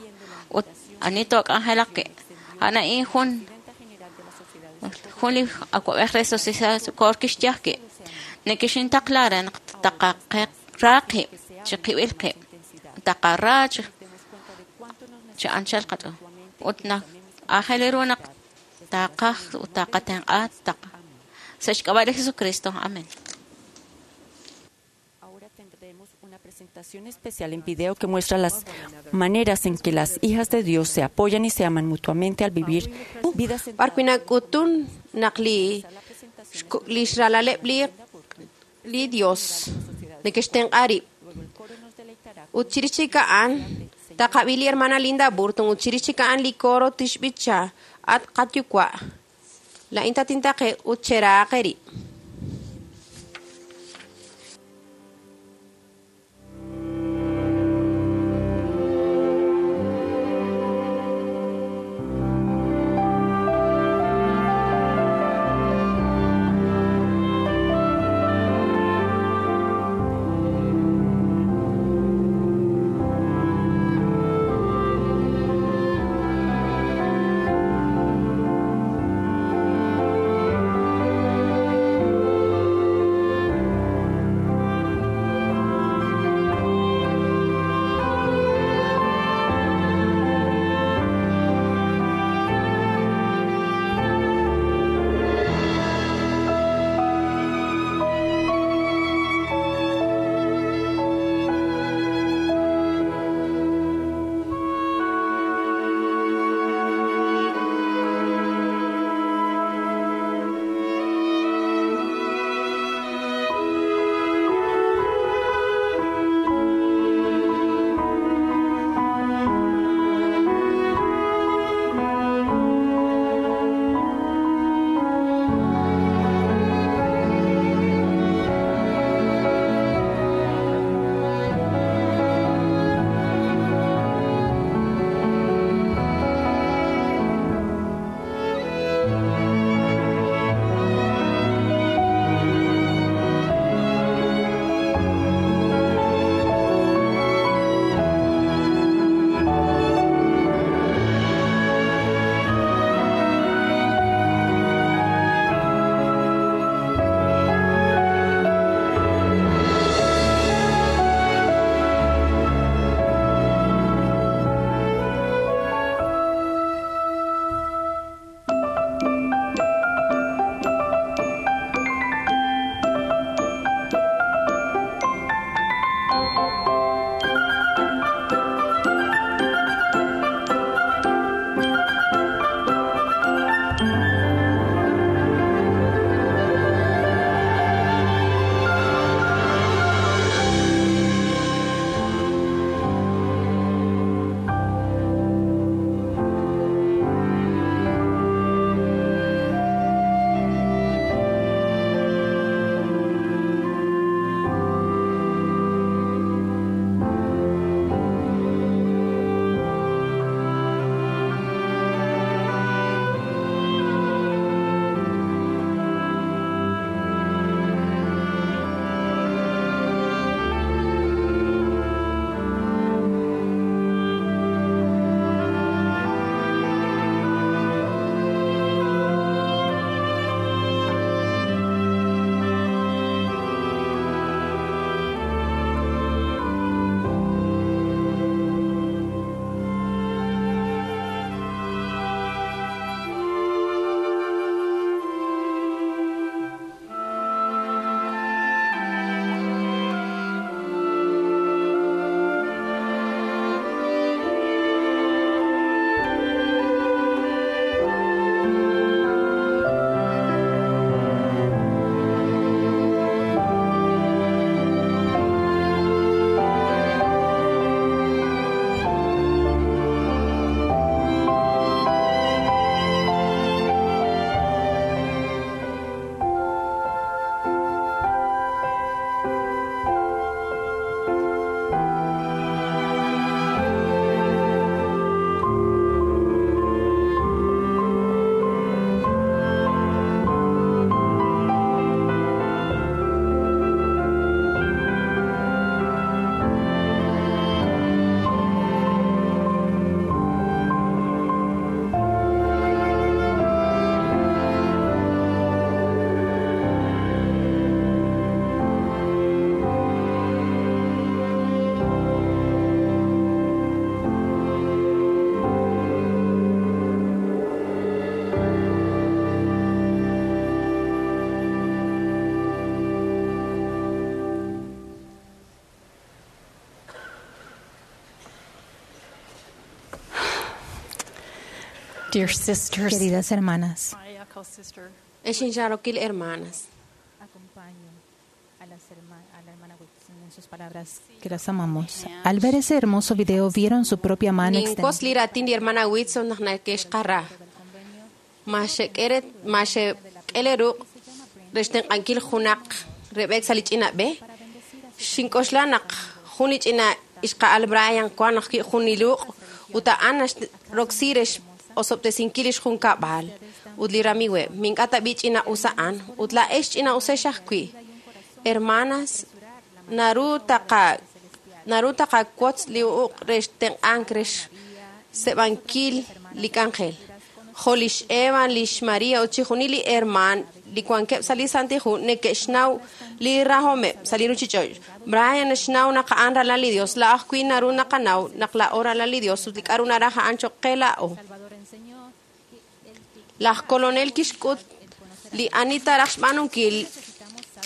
ut ani took'anjelaq wi'. A'an a'in jun jun li awa'b'ej re Sociedad Socorro kixye ajwi' nekexintaqla re naq taqaqe ra qib' chiqib'il qib' taqara chi chi anchal qach'ool ut naq aajel ru naq taqaj ut taqatenq'a taq sa' xk'ab'a' li Jesucristo. Amén. Ahora tendremos una presentación especial en video que muestra las maneras en que las hijas de Dios se apoyan y se aman mutuamente al vivir vidas B'ar wi' nak'utun naq li xku- li xralaleb' li li Dios neke'xtenq'a rib'. Ut chirix chik a'an taqab'i li hermana Linda Burton ut chirix chik a'an li coro tixb'icha at qatyuwa'. La'in tatintaqe ut cheraaqe rib'. Thank Dear sisters, Queridas hermanas, I echo sister Ex inxarokil hermanas. Acompaño a, las herma- a la hermana Whitson en sus palabras que las amamos. Al ver ese hermoso video, vieron su propia mano Ninkos extendida. li ratin li hermana Whitson naq nake'xqara. Ma xek'ere ma xek'ele ruq' re xtenq'ankil junaq reb'ek sa' li ch'ina b'e. Xink'oxla naq jun li ch'ina ixqa'al Brian wan naq jun li ruq' ut a'an naxroksi re x'osob'tesinkil lix junkab'al ut li ramiiweb'. Mink'a tab'i ch'ina us a'an ut laa'ex ch'ina usex ajwi'. Hermanas, naru taqa naru taqawotz li uq' re xtenq'ank re xseb'ankil li k'anjel. Jo' lix Eva, lix Maria ut chixjunil li hermaan li wankeb' sa' li Santil Hu neke'xnaw li rajomeb' sa' li ruuchich'och'. Brian naxnaw naq a'an ralal li Dios. Laa'o ajwi' naru naqanaw naq laa'o ralal li Dios ut li k'a'ru naraj a'an choq' qe laa'o. Laj kolonel kixk'ut li ani taraj xb'aanunkil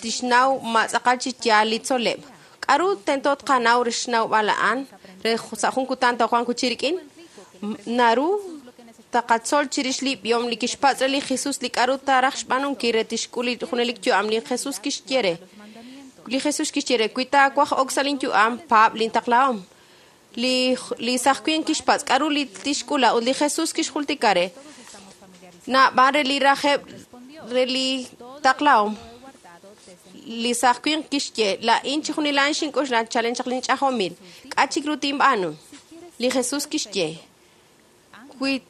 tixnaw ma tz'aqal chi yaal li tzol'leb'. K'a'ru tento tqanaw re xnawb'al a'an re sa' jun kutan toowanq chi rik'in? Naru taqatzol chirix li b'ihom li kixpatz' re li Jesus li k'a'ru taraj xb'aanunkil re tixk'ul li junelik yu'am. Li Jesus kixye re. Li Jesus kixye re, wi taawaj ok sa' linyu'am, paab' lintaqlahom. Li li saj winq kixpatz' k'a'ru li tixk'ula ut li Jesus kixjultika re. Naab'al re li rajeb' re li taqlahom. Li saj winq kixye, laa'in chixjunilan xink'oxla chalen chaq linch'ajomil. K'a' chik ru tinb'aanu? Li Jesus kixye, wi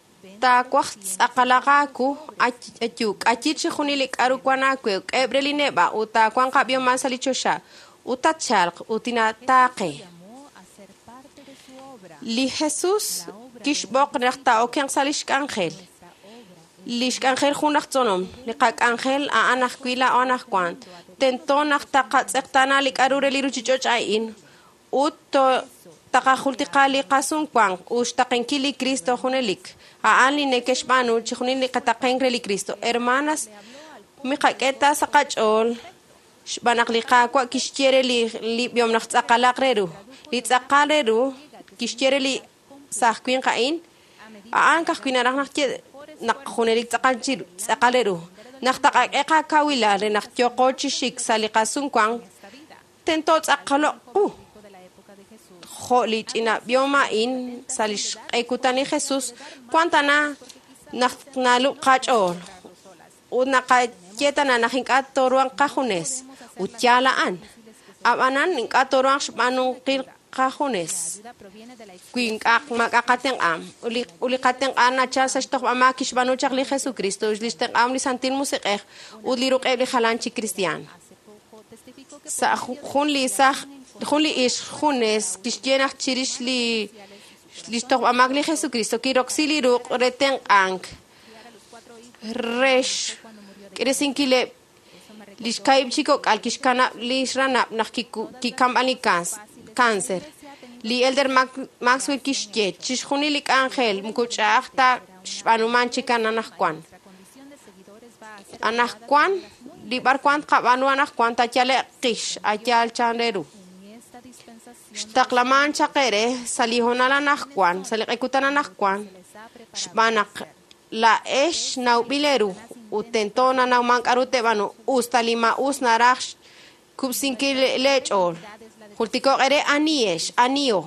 taawaj tz'aqalaq aawu, ayu, k'ayi chixjunil li k'a'ru wan aawe, k'eheb' re li neb'a' ut taawanq ab'ihom sa' li choxa, ut tatchalq ut tinataaqe. Li Jesus kixb'oq naq taa'okenq sa' lix k'anjel. Lix k'anjel jun aj tzolom, li qak'anjel a'an ajwi' laa'o anaqwan. Tento naq taqatz'eqtaana li k'a'ru re li ruuchich'och' a'in ut taqajultika li qasumwank ut xtaqenkil li Cristo junelik. A'an li neke'xb'aanu chixjunil li qataqenk re li Cristo. Hermanas, miqak'e ta sa' qach'ool xb'aan naq li Qaawa' kixye re li li b'ihom naq tz'aqalaq re ru. Li tz'aqal re ru kixye re li saj winq a'in, a'an ka'ajwi' naraj naq ye naq junelik tz'aqal chi tz'aqal re ru. Naq taqak'e qakawilal re naq yooqo chi xik sa' li qasumwank, tento tz'aqaloq qu. Jo' li ch'ina b'ihom a'in sa' li xq'ekutan li Jesus, wan tana naq nalub' qach'ool ut naqaye tana naq ink'a' tooruhanq qajunes ut yaal a'an. Ab'anan ink'a' tooruhanq xb'aanunkil qajunes wi ink'a' maak'a' qatenq'am. Ut li ut li qatenq'am nachal sa' xtojb'amaak kixb'aanu chaq li Jesucristo, li xtenq'am li Santil Musiq'ej ut li ruq'eb' li jalan chi kristiaan. Sa' jun li saj jun li ixq junes kixye naq chirix li li xtojb'amaak li Jesucristo kiroksi li ruq' re tenq'ank re xk'iresinkileb' li xka'ib' chi kok'al kixkanab' li xranab' naq kikamb'an li cáncer. Li Elder Maxwell kixye chixjunil li k'anjel moko ch'a'aj ta xb'aanuman chik anaqwan. Anaqwan li b'arwan tqab'aanu anaqwan tayale'q qix ayaal chan re ru. Xtaqlaman chaq ere sa' li hoonal anaqwan, sa' li q'ekutan anaqwan, xb'aan naq laa'ex nawb'il eeru ut tento nanawman k'a'ru te'b'aanu us ta li ma'us naraj xkub'sinkil leech'ool. Jultiko'q ere aniyex, aniyo,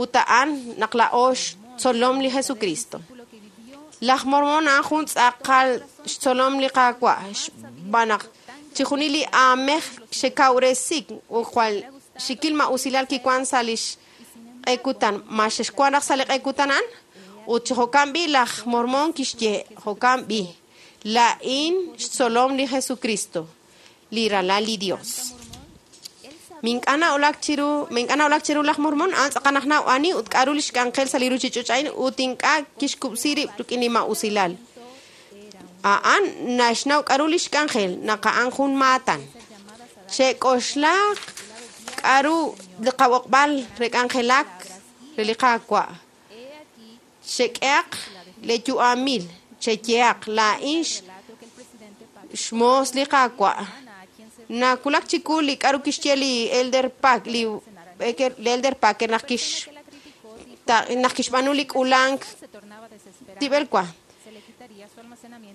ut a'an naq laa'o xtzolom li Jesucristo. Laj Mormon a'an jun tz'aqal xtzolom li Qaawa' xb'aan naq chixjunil li aamej xekawresik ut jwal xikil ma'usilal kiwan sa' lix q'ekutan. Ma xexwan raj sa' li q'ekutan a'an? Ut chi jo'kan b'i laj Mormon kixye, jo'kan b'i, laa'in xtzolom li Jesucristo, li ralal li Dios. Mink'a' na'ulak chiru, mink'a' na'ulak chiru laj Mormon, a'an tz'aqal naq naw ani ut k'a'ru lix k'anjel sa' li ruuchich'och' a'in ut ink'a' kixkub'si rib' rik'in li ma'usilal. A'an naxnaw k'a'ru lix k'anjel naq a'an jun maatan. Chek'oxlaq k'a'ru li qab'oqb'al re k'anjelak re li Qaawa'. Xek'ehaq le yu'amil, cheyeaq laa'in xmoos li Qaawa'. Nakulak chiku li k'a'ru kixye li Elder Pack, li li Elder Packer naq kix naq kixb'aanu li k'ulank tib'el wa.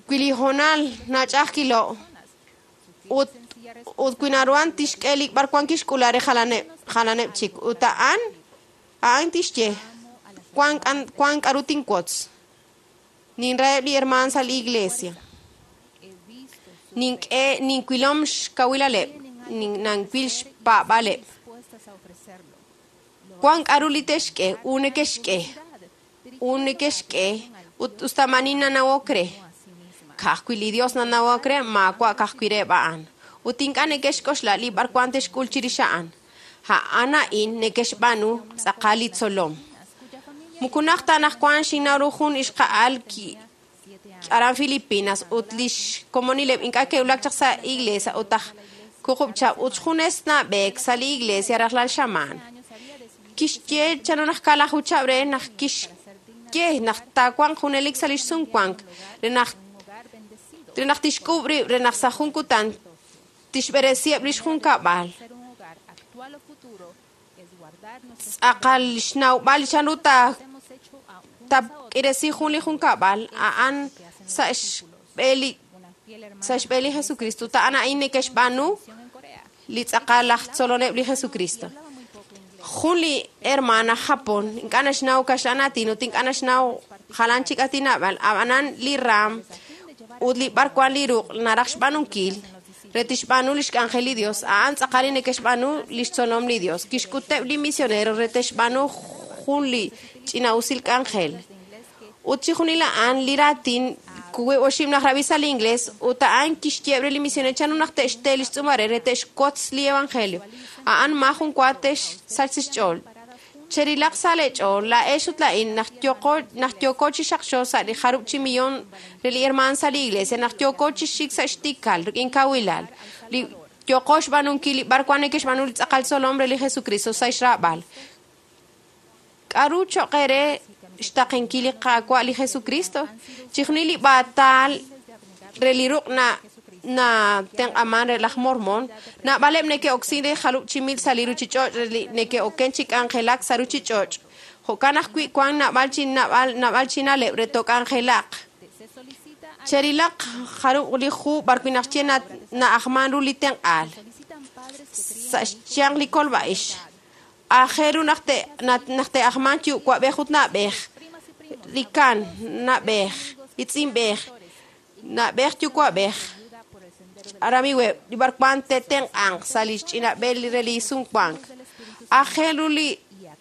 Wi li hoonal nach'a'ajkilo' ut ut wi naruhan tixk'e li b'arwan kixk'ula re jalaneb' jalaneb' chik ut a'an a'an tixye wan k'an- wan k'aru tinwotz ninraheb' li hermaan sa' li iglesia nink'e ninwilom xkawilaleb' nin- nanwil xpaab'aleb' Dispuestas a ofrecerlo. wan k'aru li te'xk'e u neke'xk'e u neke'xk'e ut usta maani nanawok re ka'ajwi' li Dios nanawok re maawa' ka'ajwi' reheb' a'an ut ink'a' neke'xk'oxla li b'arwan te'xk'ul chirix a'an a'an a'in neke'xb'aanu tz'aqal li tzolom mukunaj ta anaqwan xinnaw ru jun ixqa'al ki aran Filipinas ut lix komonileb' ink'a' ke'wulak chaq sa' iglesia ut aj wuqub' chihab' ut junes nab'eek sa' li iglesia rajlal xamaan kixye chanru naq kaalaju chihab' re naq kixye naq taawanq junelik sa' lix sumwank re naq re naq tixk'uub' rib' re naq sa' jun kutan tixb'eresiheb' lix junkab'al Ser un hogar actual o futuro es guardar nuestros tz'aqal xnawb'al chanru ta hemos hecho a unos a otros tak'iresi jun li junkab'al a'an sa' xb'e li una fiel hermana sa' xb'e li Jesucristo ut a'an a'in neke'xb'aanu en Corea. li tz'aqal aj tzoloneb' li Jesucristo Hablaba muy poco inglés. jun li hermana aj Japón ink'a' naxnaw kaxlan aatin ut ink'a' naxnaw jalan chik aatinab'al ab'anan li raam ut li b'arwan li ruq' naraj xb'aanunkil re tixb'aanu lix k'anjel li Dios a'an tz'aqal li neke'xb'aanu lix tzolom li Dios kixk'uteb' li misionero re te'xb'aanu jun li ch'ina'usil k'anjel ut chijunil a'an li raatin wiib' oxib' naq rab'i sa' li inglés ut a'an kixyeeb' re li misionero chanru naq te'xte lix tz'uumal re te'xwotz li evangelio a'an maajun wa te'xsach sa' xch'ool cherilaq sa' leech'ool laa'ex ut laa'in naq yoko naq yooko chi xaqxo sa' li jarub' chi millón re li hermaan sa' li iglesia naq yooko chi xik sa' xtikal rik'in kawilal li yoko xb'aanunkil li b'arwan neke'xb'aanu li tz'aqal tzolom re li Jesucristo sa' xraab'al k'aru cho'q eere xtaqenkil li Qaawa' li Jesucristo chijunil li b'aatal re li ruq' na na tenq'aman re laj Mormon naab'aleb' neke'oksin re jarub' chi mil sa' li ruchich'och' re li neke'oken chi k'anjelak sa' ruchich'och' jo'kan ajwi' wan naab'al chi naab'al naab'al chi na'leb' re took'anjelaq Se solicita a cherilaq jarub' li hu b'arwi' naq xye na na'ajman ru li tenq'aal solicitan padres que críen sa' xyanq li kolb'a'ix aajel ru naq te na- naq te'ajman yuwa'b'ej ut na'b'ej primas y primos li kan na'b'ej li tz'inb'ej na'b'ej yuwa'b'ej ayuda por el sendero de aramiweb' li b'arwan te'tenq'anq sa' li xch'inab'el re li sumwank aajel ru li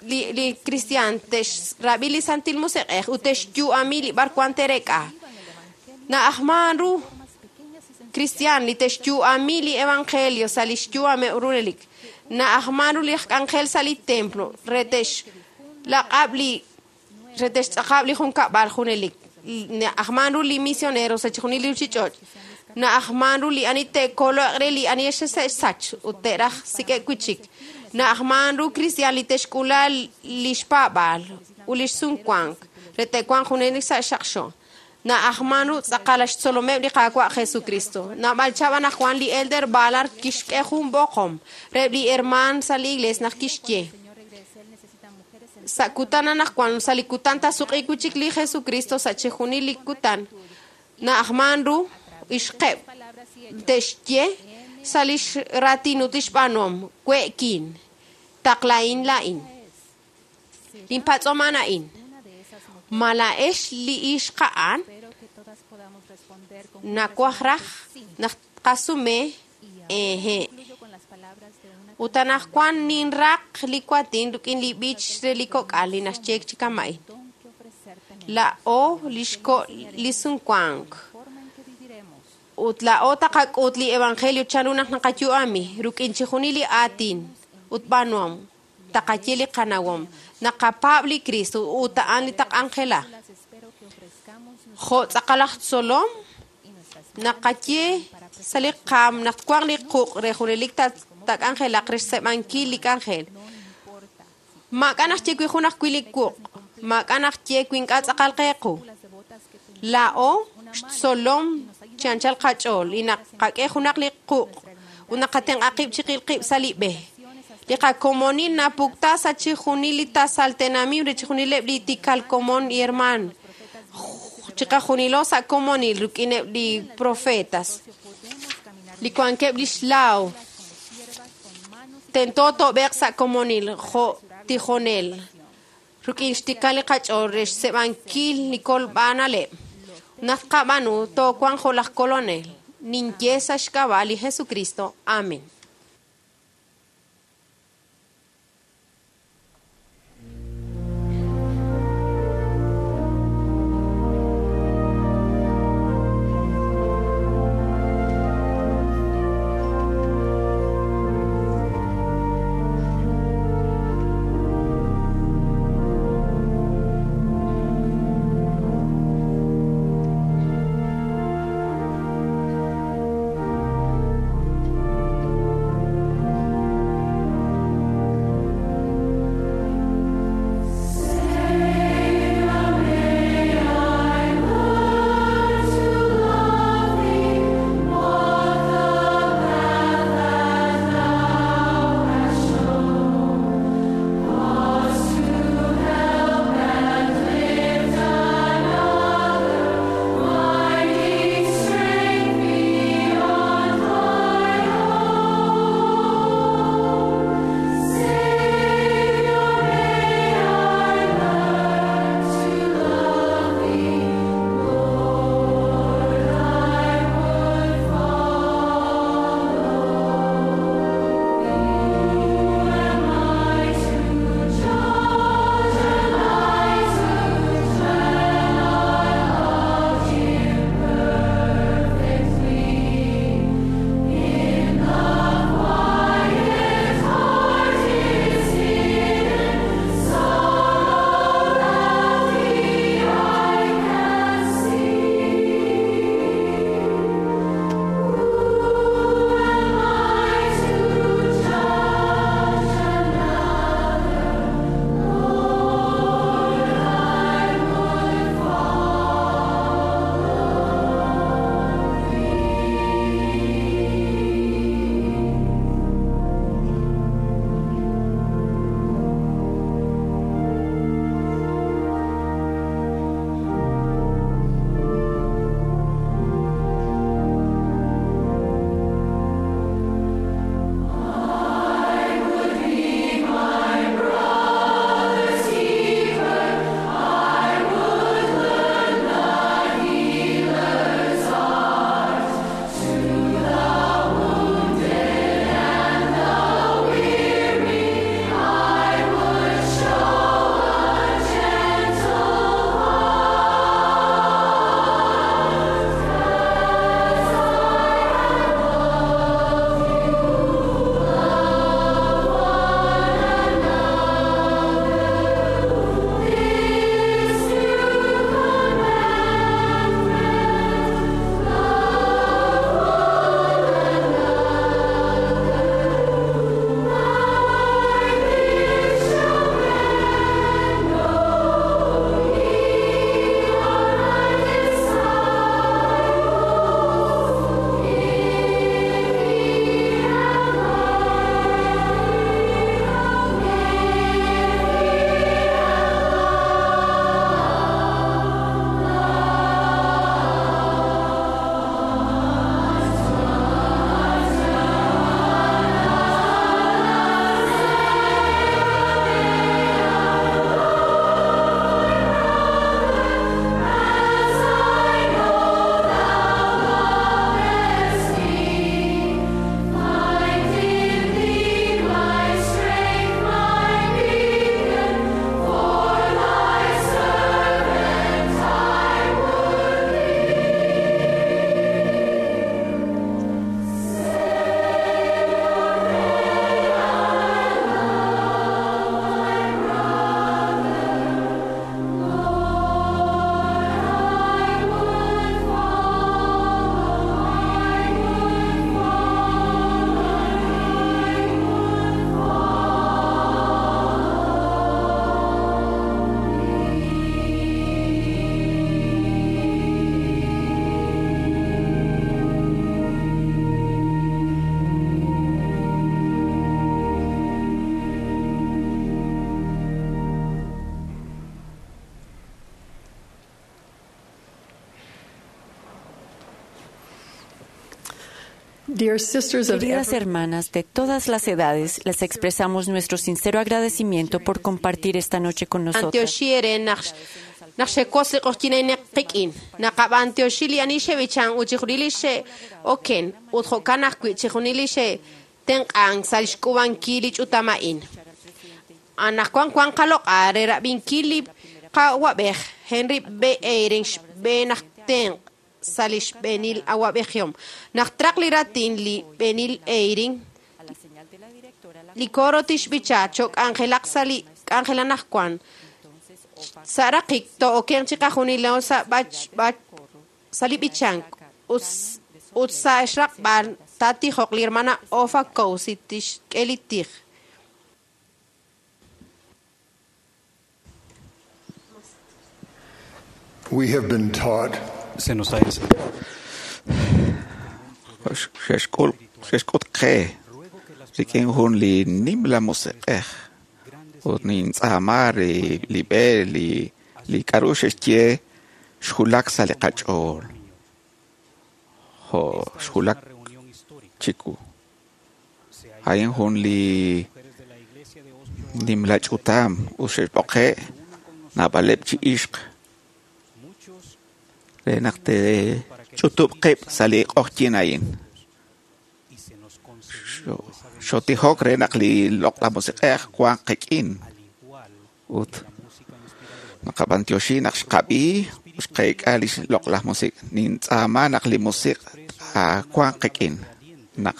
li li cristian te'xrab'i li Santil Musiq'ej ut te'xyu'ami li b'arwan te'rek'a na'ajman ru formas pequeñas y sencillas cristian li te'xyu'ami li evangelio sa' li xyu'ameb' runelik na'ajman ru li k'anjel sa' li templo re te'xlaq'ab' li re te'xtz'aqab' li junkab'al junelik na'ajman ru li misionero sa' chijunil li ruchich'och' na'ajman ru li ani te'koloq re li ani xe'sach ut te'raj sik'ek wi' chik na'ajman ru cristian li te'xk'ula li xpaab'al ut li xsumwank re te'wanq junelik sa' xaqxo na'ajman ru tz'aqal xtzolomeb' li Qaawa' Jesucristo naab'al chab' anaqwan li Elder Ballard kixk'e jun b'oqom reheb' li hermaan sa' li iglesia naq kixye Señor regrese, él necesita mujeres en sa' kutan anaqwan sa' li kutan tasuq'i wi' chik li Jesucristo sa' chijunil li kutan na'ajman ru ixqeb' palabras y hechos. te'xye sa' lix raatin ut lix b'aanuhom we'kin taqla'in la'in linpatz'om a'an a'in Una de esas mujeres, ma laa'ex li ixqa'an espero que todas podamos responder con un nawaj raj sí. naq tqasume Y ahora eje concluyo con las palabras de una ut anaqwan ninraq li kuatin rik'in li b'ich re li kok'al li naxye chi kama'in don que ofrecer tenemos, la'o lixko' li sumwank forma en que viviremos. ut la'o taqak'ut li evangelio chanru naq naqayu'ami rik'in chijunil li aatin ut b'aanuhom taqaye li qanawom naqapaab' li Cristo ut a'an li taq'anjela Las espero que ofrezcamos jo' tz'aqal aj tzolom y nuestras naqaye sa' li qaam naq twanq li quq' re junelik ta- tak'anjelaq re xseeb'ankil li k'anjel no importa maak'a' naq ye wi jun ajwi' li quq' maak'a' naq ye wi ink'a' tz'aqal qeequ si las devotas que tenemos la'o xtzolom chi anchal qach'ool li naqak'e junaq li quq' ut naqatenq'a qib' chiqil qib' sa' li b'e li qakomonil napukta sa' chijunil li tasal tenamit re chijunileb' li tikal komon y hermaan Chiqajunilo sa' komonil rik'ineb' li profetas li wankeb' lix laaw. Tento toob'eeq sa' komonil jo' tijonel rik'in xtikal li qach'ool re xseeb'ankil li kolb'analeb'. Naq qab'aanu toowanq jo' laj kolonel. Ninye sa' xk'ab'a' li Jesucristo. Amén. Dear sisters of Queridas every hermanas de todas las edades, les expresamos nuestro sincero agradecimiento por compartir esta noche con nosotras. Antioxi ere naq naq xewotz li q'oqyink qik'in naqab'antioxi li ani xeb'ichan ut chixjunil li xe'oken ut jo'kan ajwi' chixjunil li xe'tenq'an sa' li xk'ub'ankil li ch'utam a'in. Anaqwan wan qaloq'a re rab'inkil li qawab'ej Henry B. Eyring xb'een aj tenq' sa' li xb'eenil awab'ejihom. Naq traq li raatin li b'eenil Eyring, li coro tixb'icha cho'k'anjelaq sa' li k'anjel anaqwan. Sa' raqik to'oken chiqajunilo sa' b'ach b'ach sa' li b'ichank ut ut sa' xraqb'al taatijoq li hermana Ofa Kousi tixk'e li tij. We have been taught Se nos ha enseñado. Xe'xk'ul xe'xk'ut qe rik'in jun li nimla musiq'ej ut nintz'aama li li b'e li li k'a'ru xe'xye xjulak sa' li qach'ool jo' xjulak chiku a'in jun li nimla ch'utam ut xe'xb'oqe' naab'aleb' chi ixq re naq te'ch'utub' qib' sa' li q'oqyink a'in. Xo- Xotijok re naq li loq'laj musiq'ej wanq qik'in ut naqab'antioxi naq xqab'i ut xqeek'a li loq'laj musiq'. Nintz'aama naq li musiq' wanq qik'in naq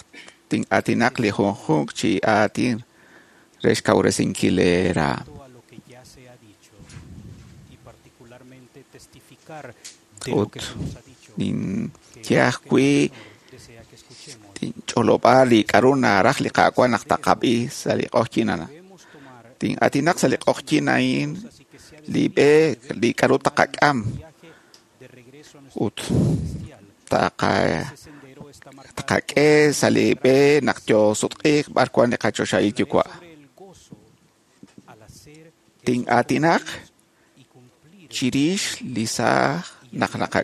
tin'aatinaq li junjunq chi aatin re xkawresinkil eeraam. A lo que ya se ha dicho y particularmente testificar de lo Ut que se nos ha dicho. ninye ajwi' Desea que escuchemos. tinch'olob'a li k'a'ru naraj li Qaawa' naq taqab'i sa' li q'oqyink a'an. Tin'aatinaq sa' li q'oqyink a'in li b'e li k'a'ru taqak'am De regreso a nuestro ut taqa sendero está marcado taqak'e sa' li b'e naq yoosutq'iiq b'ar wan li qachoxahil yuwa'. sobre el gozo al hacer Tin'aatinaq y cumplir chirix li saaj naq naqa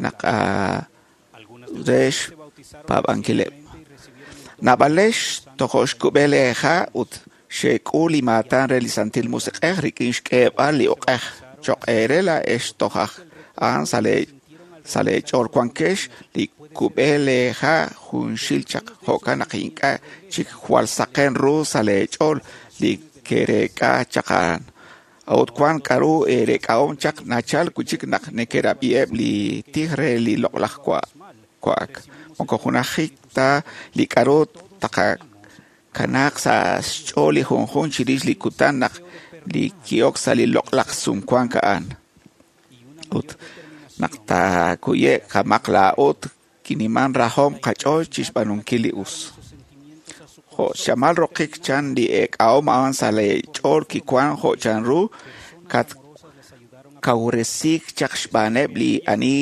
naq ah, Algunas de re ustedes se bautizaron xpaab'ankileb'. recientemente y recibieron el don Naab'alex tojo xkub'e leeja ut xe'k'ul li maatan re li Santil Musiq'ej rik'in xk'eeb'al li uq'ej choq' eere laa'ex toj aj a'an sa' lee sa' leech'ool wankex li kub'e leeja junxil chaq jo'kan naq ink'a' chik jwal saqen ru sa' leech'ool li kereek'a chaq a'an. A'ut wan k'a'ru eerek'ahom chaq nachal wi' chik naq nekerab'iheb' li tij re li loq'laj wa' wa'ak. Moko junajik ta li k'a'ru taqakanaaq sa' xch'ool li junjunq chirix li kutan naq li ki'ok sa' li loq'laj sumwank a'an. Ut naq taakuye' qamaq laa'ut kiniman rajom qach'ool chixb'aanunkil li us. Jo' xamal roqik chan li eek'ahom a'an sa' leech'ool kiwan jo' chanru katkawresiik chaq xb'aaneb' li ani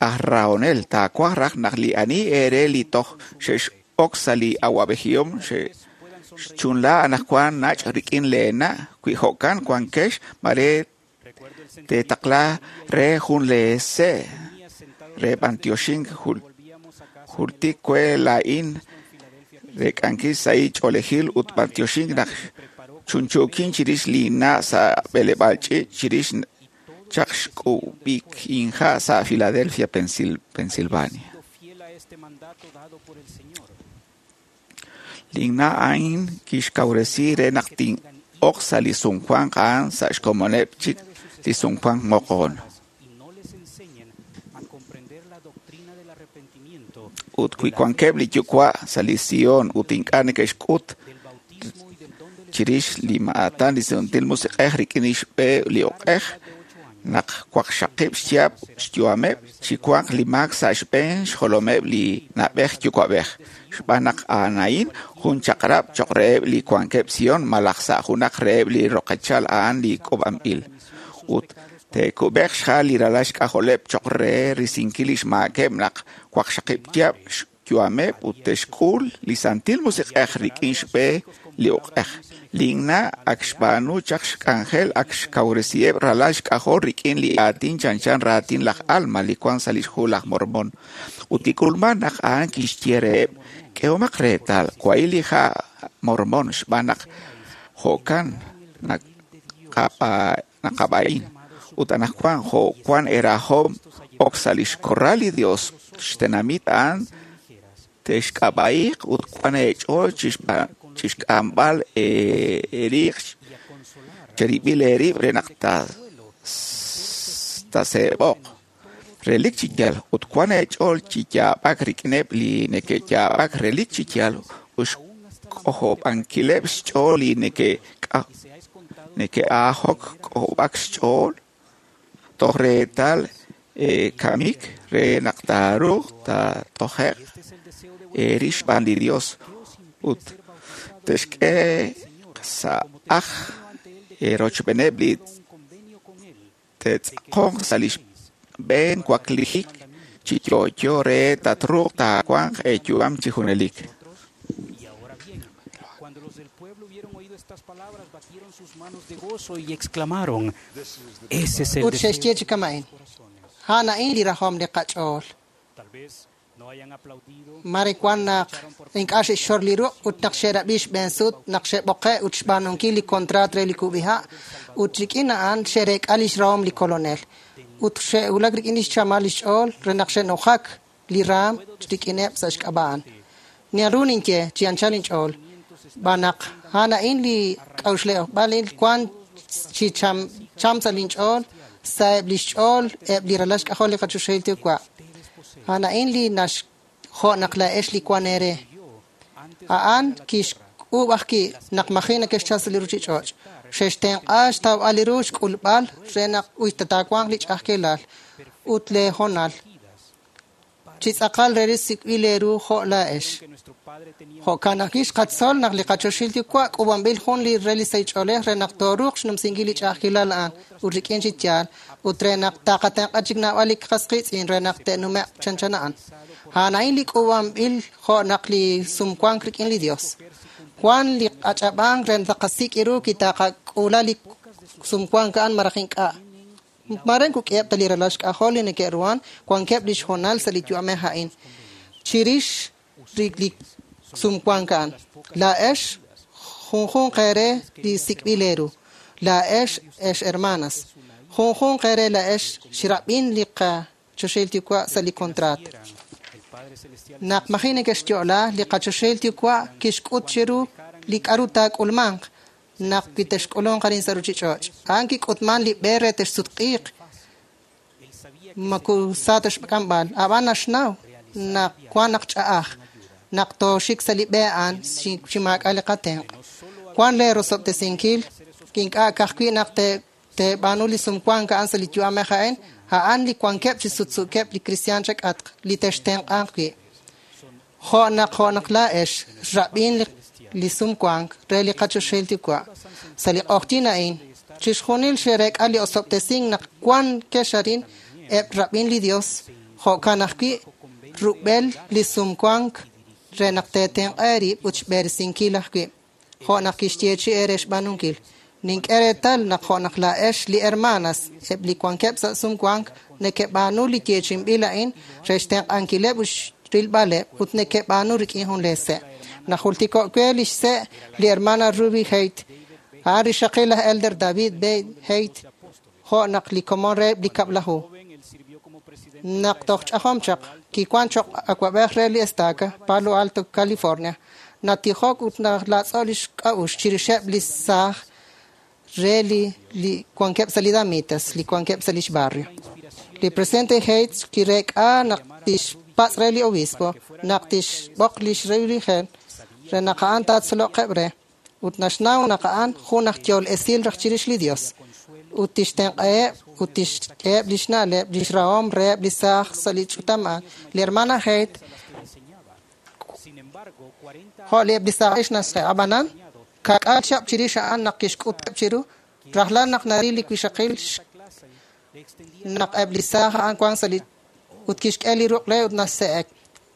aj rahonel. Taawaj raj naq li ani eere li toj xe'x'ok sa' li awab'ejihom xe'xchunla anaqwan nach' rik'in leena' wi jo'kan wankex mare teetaqla re jun leese' re b'antioxink jul- jultik we laa'in rek'ankil sa' ch'oolejil ut b'antioxink naq chunchuukin chirix li na' sa' b'eleb'aal ch'iich' chirix chaq xk'ub'ik inja' sa' Philadelphia, Pensil- Pensilvania. fiel a este mandato dado por el Señor. Linna' a'in kixkawresi re naq tin'ok sa' li sumwank a'an sa' xkomoneb' chik li sumwank moqon. Y no les enseñen a comprender la doctrina del arrepentimiento, Ut wi wankeb' li yuwa' sa' li Sion ut ink'a' neke'xk'ut del bautismo y del don del chirix li maatan li Santil Musiq'ej rik'in li xb'e li uq'ej naq waqxaqib' xyaab' xyu'ameb' chi wanq li maak sa' xb'een xjolomeb' li na'b'ej yuwa'b'ej xb'aan naq a'an a'in jun chaq'rab' choq' reheb' li wankeb' Sion malaj sa' junaq reheb' li roqechal a'an li k'uub'anb'il ut te'kub'eq xjal li ralal xk'ajoleb' choq' re risinkil li xmaakeb' naq waqxaqib' chihab' xyu'ameb' ut te'xk'ul li Santil Musiq'ej rik'in xb'e li uq'ej. Linna' ak xb'aanu chaq xk'anjel ak xkawresiheb' ralal xk'ajol rik'in li aatin chanchan raatin laj Alma li wan sa' lix hu laj Mormon. Ut kik'ulman naq a'an kixye reheb', k'ehomaq reetal, wahi' li ha' Mormon xb'aan naq jo'kan naqab'a'in. Ut anaqwan jo' wan erajom ok sa' lix korral li Dios xtenamit a'an te'xk'ab'a'iq ut wan eech'ool chixk'amb'al eeriiq cherib'il eerib' re naq taaseeb'oq. Relik chi yaal ut wan eech'ool chi yaab'ak rik'ineb' li neke'yaab'ak relik chi yaal ut xk'ojob'ankileb' xch'ool li neke'ajok k'ojob'ak xch'ool toj reetal kamik re naq taaruuq taatoje'q eerix xb'aan li Dios ut te'xk'e sa' aj eerochb'eeneb' li te'tz'aqonq sa' li xb'een waklijik chi yo'yo re tatruuq taawanq eeyu'am chi junelik. Cuando los del pueblo hubieron oído estas palabras, batieron sus manos de gozo y exclamaron, Ese es el Ut xe'xye deseo chi de kama'in, nuestros corazones. a'an a'in li rajom li qach'ool. Tal vez no hayan aplaudido, Mare wan naq ink'a' xe'xxor li ruq' ut naq xe'rab'i xb'een sut naq xe'b'oqe' ut xb'aanunkil li kontraat re li kub'iha' ut rik'in a'an xe'reek'a lix rahom li kolonel. Ut xe'wulak rik'in lix chamal lix ch'ool re naq xe'nujak li raam rik'ineb' sa' xk'ab'a'an. Naru ninye chi anchal inch'ool b'an naq a'an a'in li k'a'uxleb'aal wan chi cham cham sa' linch'ool sa'eb' lix ch'ool eb' li ralal xk'ajol li qachoxahil Yuwa'. A'an a'in li nax jo' naq laa'ex li wan eere. A'an kixk'uub' ajwi' naq maji' neke'xchal sa' li ruchich'och'. Xe'xtenq'a xtawb'al li ru xk'ulb'al re naq uyta taawanq li ch'a'ajkilal ut lee hoonal. Chi tz'aqal re li sik'b'il eeru jo' laa'ex. Jo'kan ajwi' xqatzol naq li qachoxahil Yuwa' k'uub'anb'il jun li re li sahil ch'oolej re naq tooruuq xnumsinkil li ch'a'ajkilal a'an ut rik'in chi yaal ut re naq taqatenq'a chik naab'al li qas qiitz'in re naq te'nume'q chanchan a'an. A'an a'in li k'uub'anb'il jo' naq li sumwank rik'in li Dios. Wan li ach'ab'ank re taqasik' ru kitaqak'uula li sumwank a'an malaj ink'a'. Mare kuk'iheb' ta li ralal xk'ajol li neke'ruhan wankeb' lix hoonal sa' li yu'amej a'in. Chirix li sumwank a'an, laa'ex junjunq eere li sik'b'il eeru. Laa'ex ex hermanas. Junjunq eere laa'ex xrab'in li qachoxahil Yuwa' sa' li kontraat. Naq maji' neke'xyo'la, li qachoxahil Yuwa' kixk'ut chiru li k'a'ru taak'ulmanq naq kitexk'ulunq arin sa' ruchich'och'. A'an kik'utman li b'e re texsutq'iiq maku sa texk'amb'al. Ab'an naxnaw naq wan naq ch'a'aj naq tooxik sa' li b'e a'an chi maak'a' li qatenq'. Wan lee rosob'tesinkil ink'a' ka'ajwi' naq teeb'aanu li sumwank a'an sa' li yu'amej a'in, a'an li wankeb' chi sutsuukeb' li kristiaan chak'atq li textenq'anq wi'. Jo' naq jo' naq laa'ex xrab'in li sumwank re li qachoxahil Yuwa'. Sa' li q'oqyink a'in, chixjunil xe'reek'a li osob'tesink naq wan kex arin eb' rab'in li Dios, jo'kan ajwi' rub'el li sumwank re naq teetenq'a eerib' ut xb'eresinkil ajwi', jo' naq kixyeechi' eere xb'aanunkil. Nink'e reetal naq jo' naq laa'ex li hermanas eb' li wankeb' sa' sumwank neke'b'aanu li yeechinb'il a'in re xtenq'ankileb' ut xrilb'aleb' ut neke'b'aanu rik'in jun lee se'. Najultiko' we lix se' li hermana Ruby Haight, a'an rixaqil laj Elder David B. Haight, jo' naq li komon reheb' li kab'laju. Naq toj ch'ajom chaq, kiwan choq' awab'ej re li estaca, Palo Alto, California. Natijok ut nalatz'o' lix k'a'uxl chirixeb' li saaj re li li wankeb' sa' li Damitas, li wankeb' sa' lix barrio. Li presidente Haight kireek'a naq tixpatz' re li obispo, naq tixb'oq lix religion re naq a'an taatzoloqeb' re, ut naxnaw naq a'an jun aj yool esil raj chirix li Dios. Ut tixtenq'aheb' ut tixk'eheb' lix na'leb' lix rahom reheb' li saaj sa' li ch'utam a'an. Li hermana Haight jo' li eb' li saaj ix naxse' ab'anan kak'al chihab' chirix a'an naq kixk'uteb' chiru rajlal naq naril li wixaqil naq eb' li saaj a'an wan sa' li ut kixk'e li ruq' re ut naxse'ek.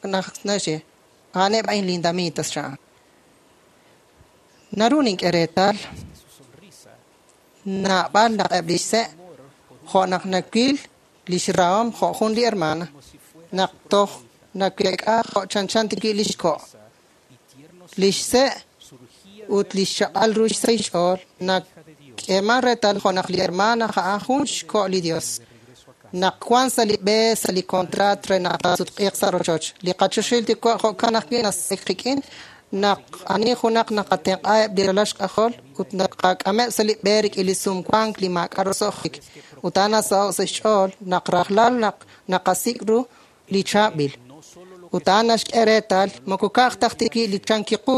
naq naxye a'aneb' a'in lindamitas chan. Naru nink'e reetal naab'al naq eb' lix se' jo' naq nawil lix rahom jo' jun li hermana naq toj naweek'a jo' chanchan tikwi' lix ko' lix se' ut lix chaq'al ru xsahil xch'ool nak'eeman reetal jo' naq li hermana a'an jun xko' li Dios naq wan sa' li b'e sa' li contrat re naq taasutq'iiq sa' rochoch li qachoxil Yuwa' jo'kan ajwi' nasek qik'in naq ani junaq naqatenq'aheb' li ralal xk'ajol ut naqak'ameb' sa' li b'e rik'in li sumwank li maak'a' roso'jik ut a'an nasaho' sa' xch'ool naq rajlal naq naqasik' ru li chaab'il ut a'an naxk'e reetal moko ka'aj taj tikwi' li chankiqu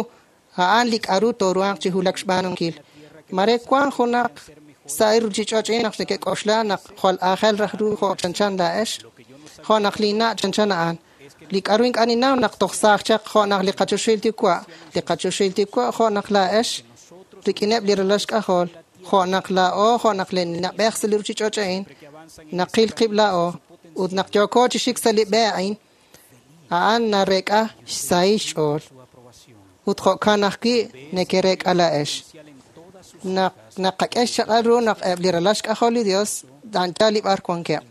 a'an li k'aru tooruhanq chi wulak xb'aanunkil mare wan junaq sa' ruuchich'och' naq neke'k'oxla naq jwal aajel raj ru jo' chanchan laa'ex jo' naq linna' chanchan a'an li k'aru ink'a' ninnaw naq toj saaj chaq jo' naq li qachoxil Yuwa' li qachoxil Yuwa' jo' naq laa'ex rik'ineb' li ralal xk'ajol jo' naq laa'o jo' naq li na'b'ej sa' li ruuchich'och' a'in naqil qib' laa'o ut naq yooko chi xik sa' li b'e a'in a'an nareek'a xsahil xch'ool ut jo'kan ajwi' nekereek'a laa'ex naq naqak'e xchaq'al ru naq eb' li ralal xk'ajol li Dios anchal li b'ar wankeb'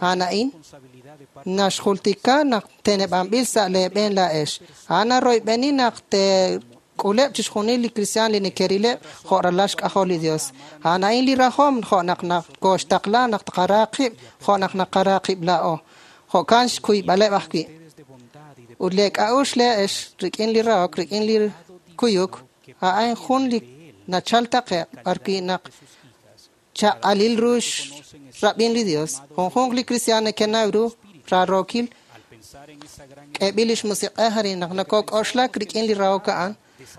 a'an a'in naxjultika naq teneb'anb'il sa' leeb'en laa'ex a'an naroyb'eni naq teek'uleb' chixjunil li kristiaan li nekerileb' jo' ralal xk'ajol li Dios a'an a'in li rajom jo' naq nakooxtaqla naq tqara qib' jo' naq naqara qib' laa'o jo'kan xkuyb'aleb' ajwi' ut leek'a'uxl lee'ex rik'in li rahok rik'in li kuyuk a'an jun li nachal taqe'q b'arwi' naq chaq'alil ru xrab'in li Dios junjunq li kristiaan nekenaw ru rarookil k'eeb'il lix musiq'ej arin naq nakok'oxlak rik'in li rahok a'an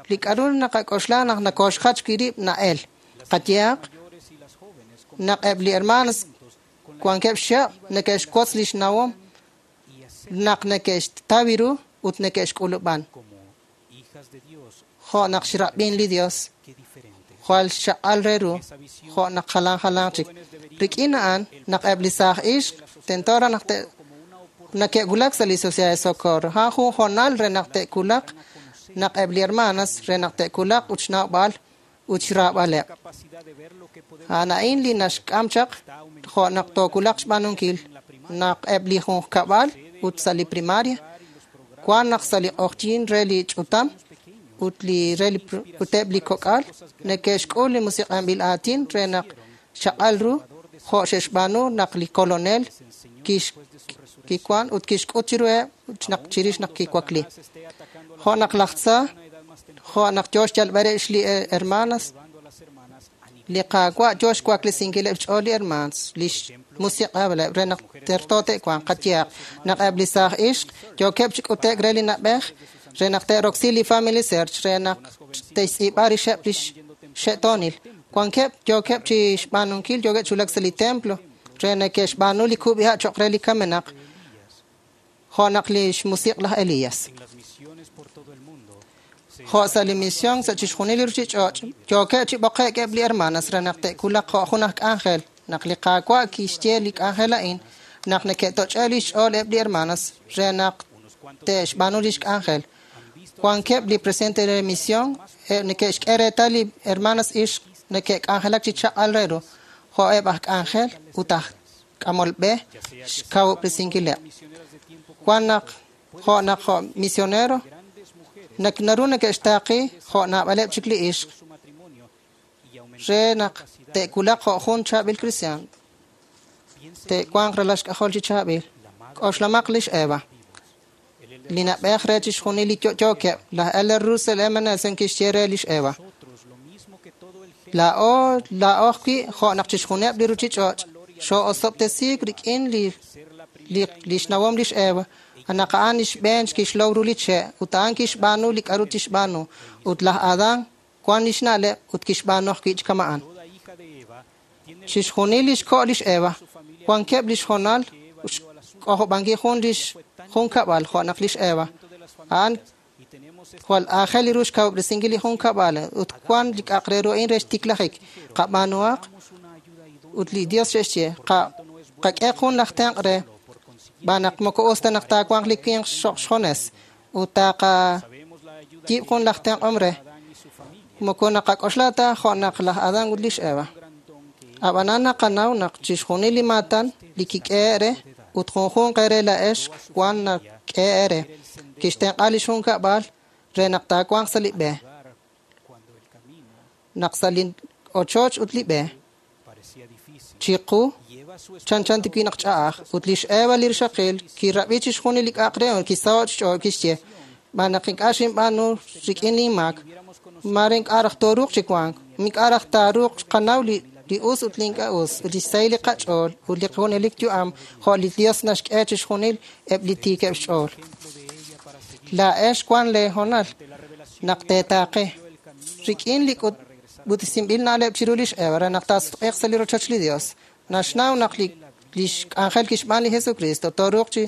li k'aru naqak'oxla naq nakoxjach wi' rib' na'el qayehaq naq eb' li hermanos wankeb' xchihab' neke'xwotz lix nawom naq neke'xtaw ru ut neke'xk'ulub'an jo' naq xrab'in li Dios jwal xchaq'al re ru jo' naq jalan jalan chik rik'in a'an naq eb' li saaj ixq tento raj naq neke'wulak sa' li Sociedad de Socorro a'an jun hoonal re naq te'wulaq naq eb' li hermanas re naq te'wulaq ut xnawb'al ut xraab'aleb' a'an a'in li naxk'am chaq jo' naq toowulaq xb'aanunkil naq eb' li junqkab'al ut sa' li primaria wan naq sa' li q'oqyink re li ch'utam ut li re li ut eb' li kok'al neke'xk'ul li musiq'anb'il aatin re naq xchaq'al ru jo' xe'xb'aanu naq li kolonel kix kiwan ut kixk'ut chiruheb' naq chirix naq kiwakli jo' naq laj tza jo' naq yo xyalb'al rib' li hermanas li Qaawa' yo xwaklesinkileb' xch'ool li hermanos li xmusiq'ableb' re naq terto te'wanq qayehaq naq eb' li saaj ixq yookeb' chi k'ute'k re li na'b'ej re naq te'roksi li Family Search re naq te'xtz'iib'a rixeb' lix xe'toonil wankeb' yookeb' chi xb'aanunkil yookeb' chi wulak sa' li templo re neke'xb'aanu li kub'iha' cho'q re li kamenaq jo' naq li xmusiq' laj Elías jo' sa' li misión sa' chixjunil li ruuchich'och' yookeb' chi b'oqe'k eb' li hermanas re naq te'wulaq jo' jun aj k'anjel naq li Qaawa' kixye li k'anjel a'in naq neke'toch'e li xch'ool eb' li hermanas re naq te'xb'aanu lix k'anjel wankeb' li presidente de misión neke'xk'e reetal li hermanas ixq neke'k'anjelak chi chaq'al re ru jo' eb' aj k'anjel ut aj k'amol b'e xkawub'resinkileb' wan naq jo' naq jo' misionero naq naru neke'xtaaqi jo' naab'aleb' chik li ixq re naq te'wulaq jo' jun chaab'il kristiaan te'wanq ralal xk'ajol chi chaab'il k'oxlamaq lix Eva li na'b'ej re chixjunil li yo'yookeb' laj Elder Russell M. Nelson kixye re lix Eva laa'o laa'o ajwi' jo' naq chixjuneb' li ruuchich'och' xoo'osob'tesiik rik'in li li lix nawom lix Eva naq a'an lix b'een kixlow ru li che' ut a'an kixb'aanu li k'aru tixb'aanu ut laj Adán wan lix na'leb' ut kixb'aanu ajwi' chi kama'an chixjunil lix ko' lix Eva wankeb' lix hoonal xk'ojob'ankil jun lix junkab'al jo' naq lix Eva a'an jwal aajel li ru xkawub'resinkil li junkab'al ut wan li k'a'aq re ru a'in re xtiklajik qab'aanuhaq ut li Dios xe'xye qak'e jun laj tenq' re Xb'aan naq moko us ta naq taawanq li winq xoq xjones ut taqayiib' jun laj tenq'om re. Moko naqak'oxla ta jo' naq laj Adán ut lix Eva. Ab'anan naqanaw naq chixjunil li maatan li kik'ehe' re ut junjunq eere laa'ex wan nak'ehe' re. Kixtenq'a lix junkab'al re naq taawanq sa' li b'e. Naq sa' li ochoch ut li b'e chiqu chanchan tikwi naq ch'a'aj ut lix Eva li rixaqil kirab'i chixjunil li k'a'aq re ut kisaho' xch'ool kixye xb'aan naq ink'a' xinb'aanu rik'in linmaak mare ink'a' raj tooruuq chi wank ink'a' raj taaruuq qanaw li li us ut li ink'a' us ut li xsahil li qach'ool ut li junelik yu'am jo' li Dios naxk'e chixjunil eb' li tiikeb' xch'ool. Laa'ex wan lee honal naq teetaaqe rik'in li k'utb'esinb'il na'leb' chiru lix Eva re naq taasutq'iiq sa' li rochoch li Dios. Naxnaw naq li lix k'anjel kixb'aan li Jesucristo tooruuq chi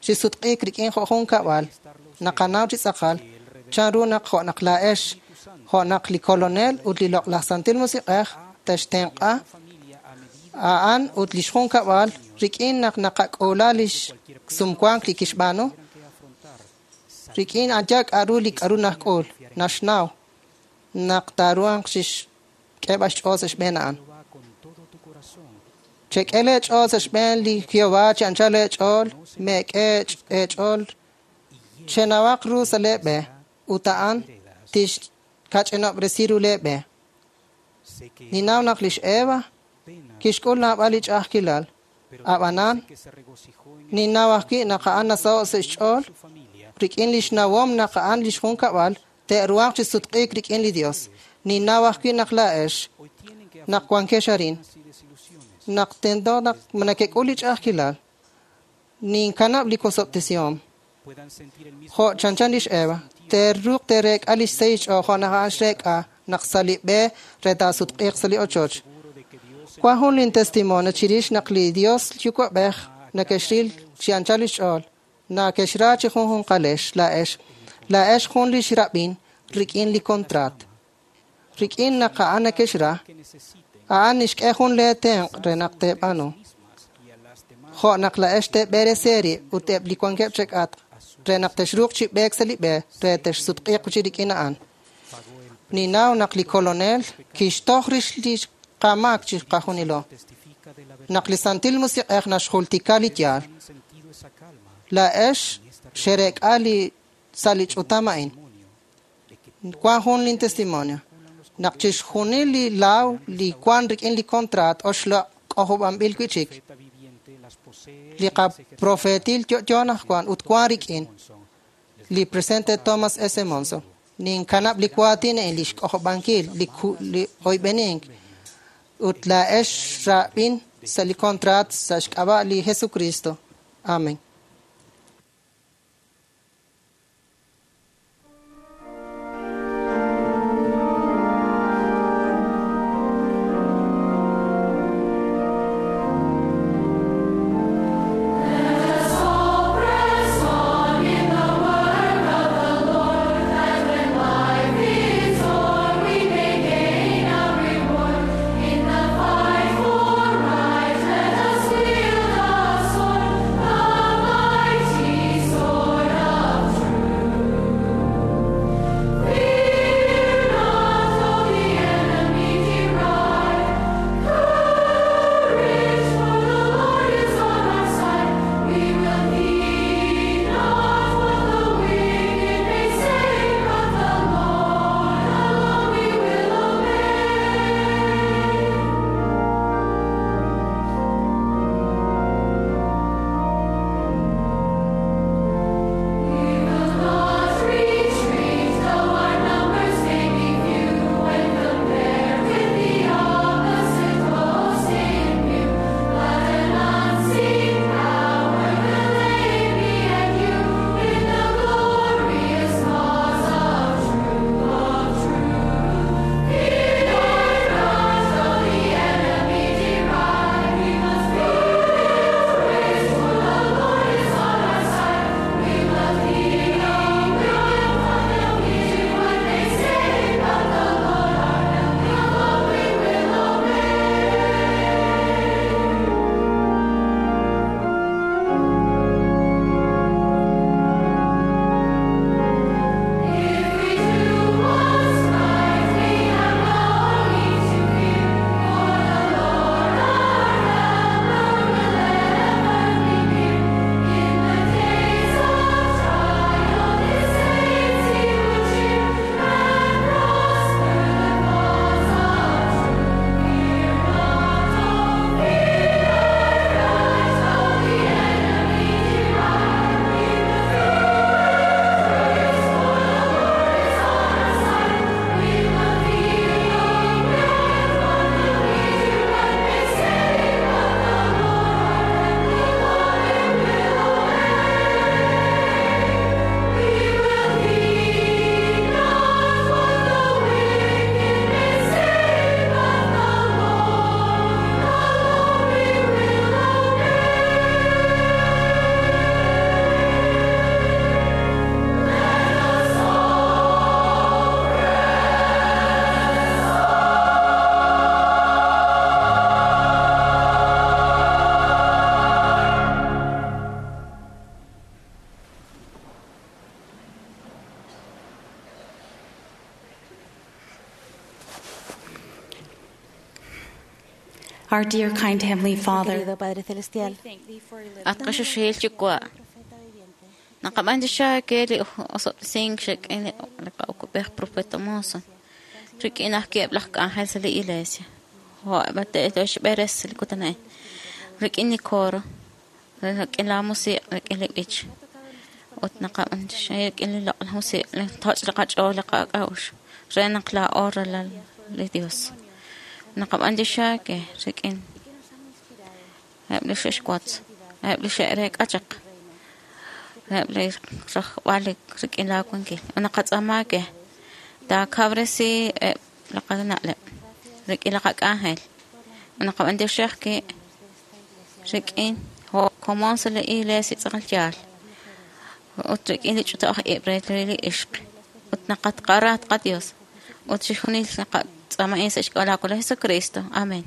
chi sutq'iik rik'in jo' jun kab'al. Naqanaw chi tz'aqal chanru naq jo' naq laa'ex jo' naq li Kolonel ut li Loq'laj Santil Musiq'ej textenq'a a'an ut lix jun kab'al rik'in naq naqak'uula lix sumwank li kixb'aanu rik'in aya k'a'ru li k'a'ru najk'ul naxnaw naq taaruhanq chixk'eeb'al xch'ool sa' xb'een a'an. Chek'e leech'ool sa' xb'een li Jehová chi anchal leech'ool meek'e eech'ool chenawaq ru sa' leeb'e ut a'an tixkach'inob'resi ru leeb'e. Ninnaw naq lix Eva kixk'ul naab'al li ch'a'ajkilal. Ab'anan ninnaw ajwi' naq a'an nasaho' sa' xch'ool rik'in lix nawom naq a'an lix junkab'al te'ruhanq chi sutq'iik rik'in li Dios. Ninnaw ajwi' naq laa'ex naq wankex arin naq tento naq nakek'ul li ch'a'ajkilal ninkanab' li wosob'tesihom jo' chanchan lix Eva te'ruuq te'reek'a lix sahil xch'ool jo' naq a'an xreek'a naq sa' li b'e re taasutq'iiq sa' li ochoch. Wan jun lin testimonio chirix naq li Dios Yuwa'b'ej nakexril chi anchal lix ch'ool nakexra chi junjunqalex laa'ex laa'ex jun lix rab'in rik'in li kontraat. Rik'in naq a'an nakexra a'an nixk'e jun lee tenq' re naq teeb'aanu. Jo' naq laa'ex teeb'eresi eerib' ut eb' li wankeb' chek'atq re naq texruuq chi b'eek sa' li b'e re texsutq'iiq chi rik'in a'an. Ninnaw naq li Kolonel kixtoj rix li qamaak chi qajunilo. Naq li Santil Musiq'ej naxjultika li yaal. Laa'ex xereek'a li sa' li ch'utam a'in. Wan jun lin testimonio. Naq chixjunil li laaw li wan rik'in li kontraat oxloq' k'ojob'anb'il wi'chik. Li qaprofetil yo'yo anaqwan ut wan rik'in li presidente Thomas S. Monson. Ninkanab' li waatin a'in li xk'ojob'ankil li li oyb'enink ut laa'ex rab'in sa' li kontraat sa' xk'ab'a' li Jesucristo. Amen. In the fight for right, let us wield the sword. Our dear kind Heavenly Father, Querido Padre Celestial, At qaxuxil yuwa'. Naqab'an ke li osob'tesink rik'in li qa'ukub'ej profeta Monson. Rik'in aj ki'eb' laj k'anjel sa' li iglesia. Jo' te'xb'eres li kutan a'in. Rik'in li coro, rik'in la musiq', rik'in li b'ich. Ut naqab'an rik'in li loq'laj musiq', li toch' li qach'ool li qak'a'uxl re naq laa'o ralal li Dios. Naqab'an ke rik'in eb' li xe'xwotz, eb' li xe'reek'a chaq, eb' li rajb'al rik'in laawankil. Naqatz'aama ke taakabresi eb' li qana'leb' rik'in li qak'anjel. Naqab'an ke rik'in jo' komon sa' li iglesia tz'aqal yaal. Ut rik'in li ch'ut'aj ib' re li ixq. Ut naqatqara qadios. Ut chixjunil naqatz'aama sa' xk'ab'a' Jesucristo. Amén.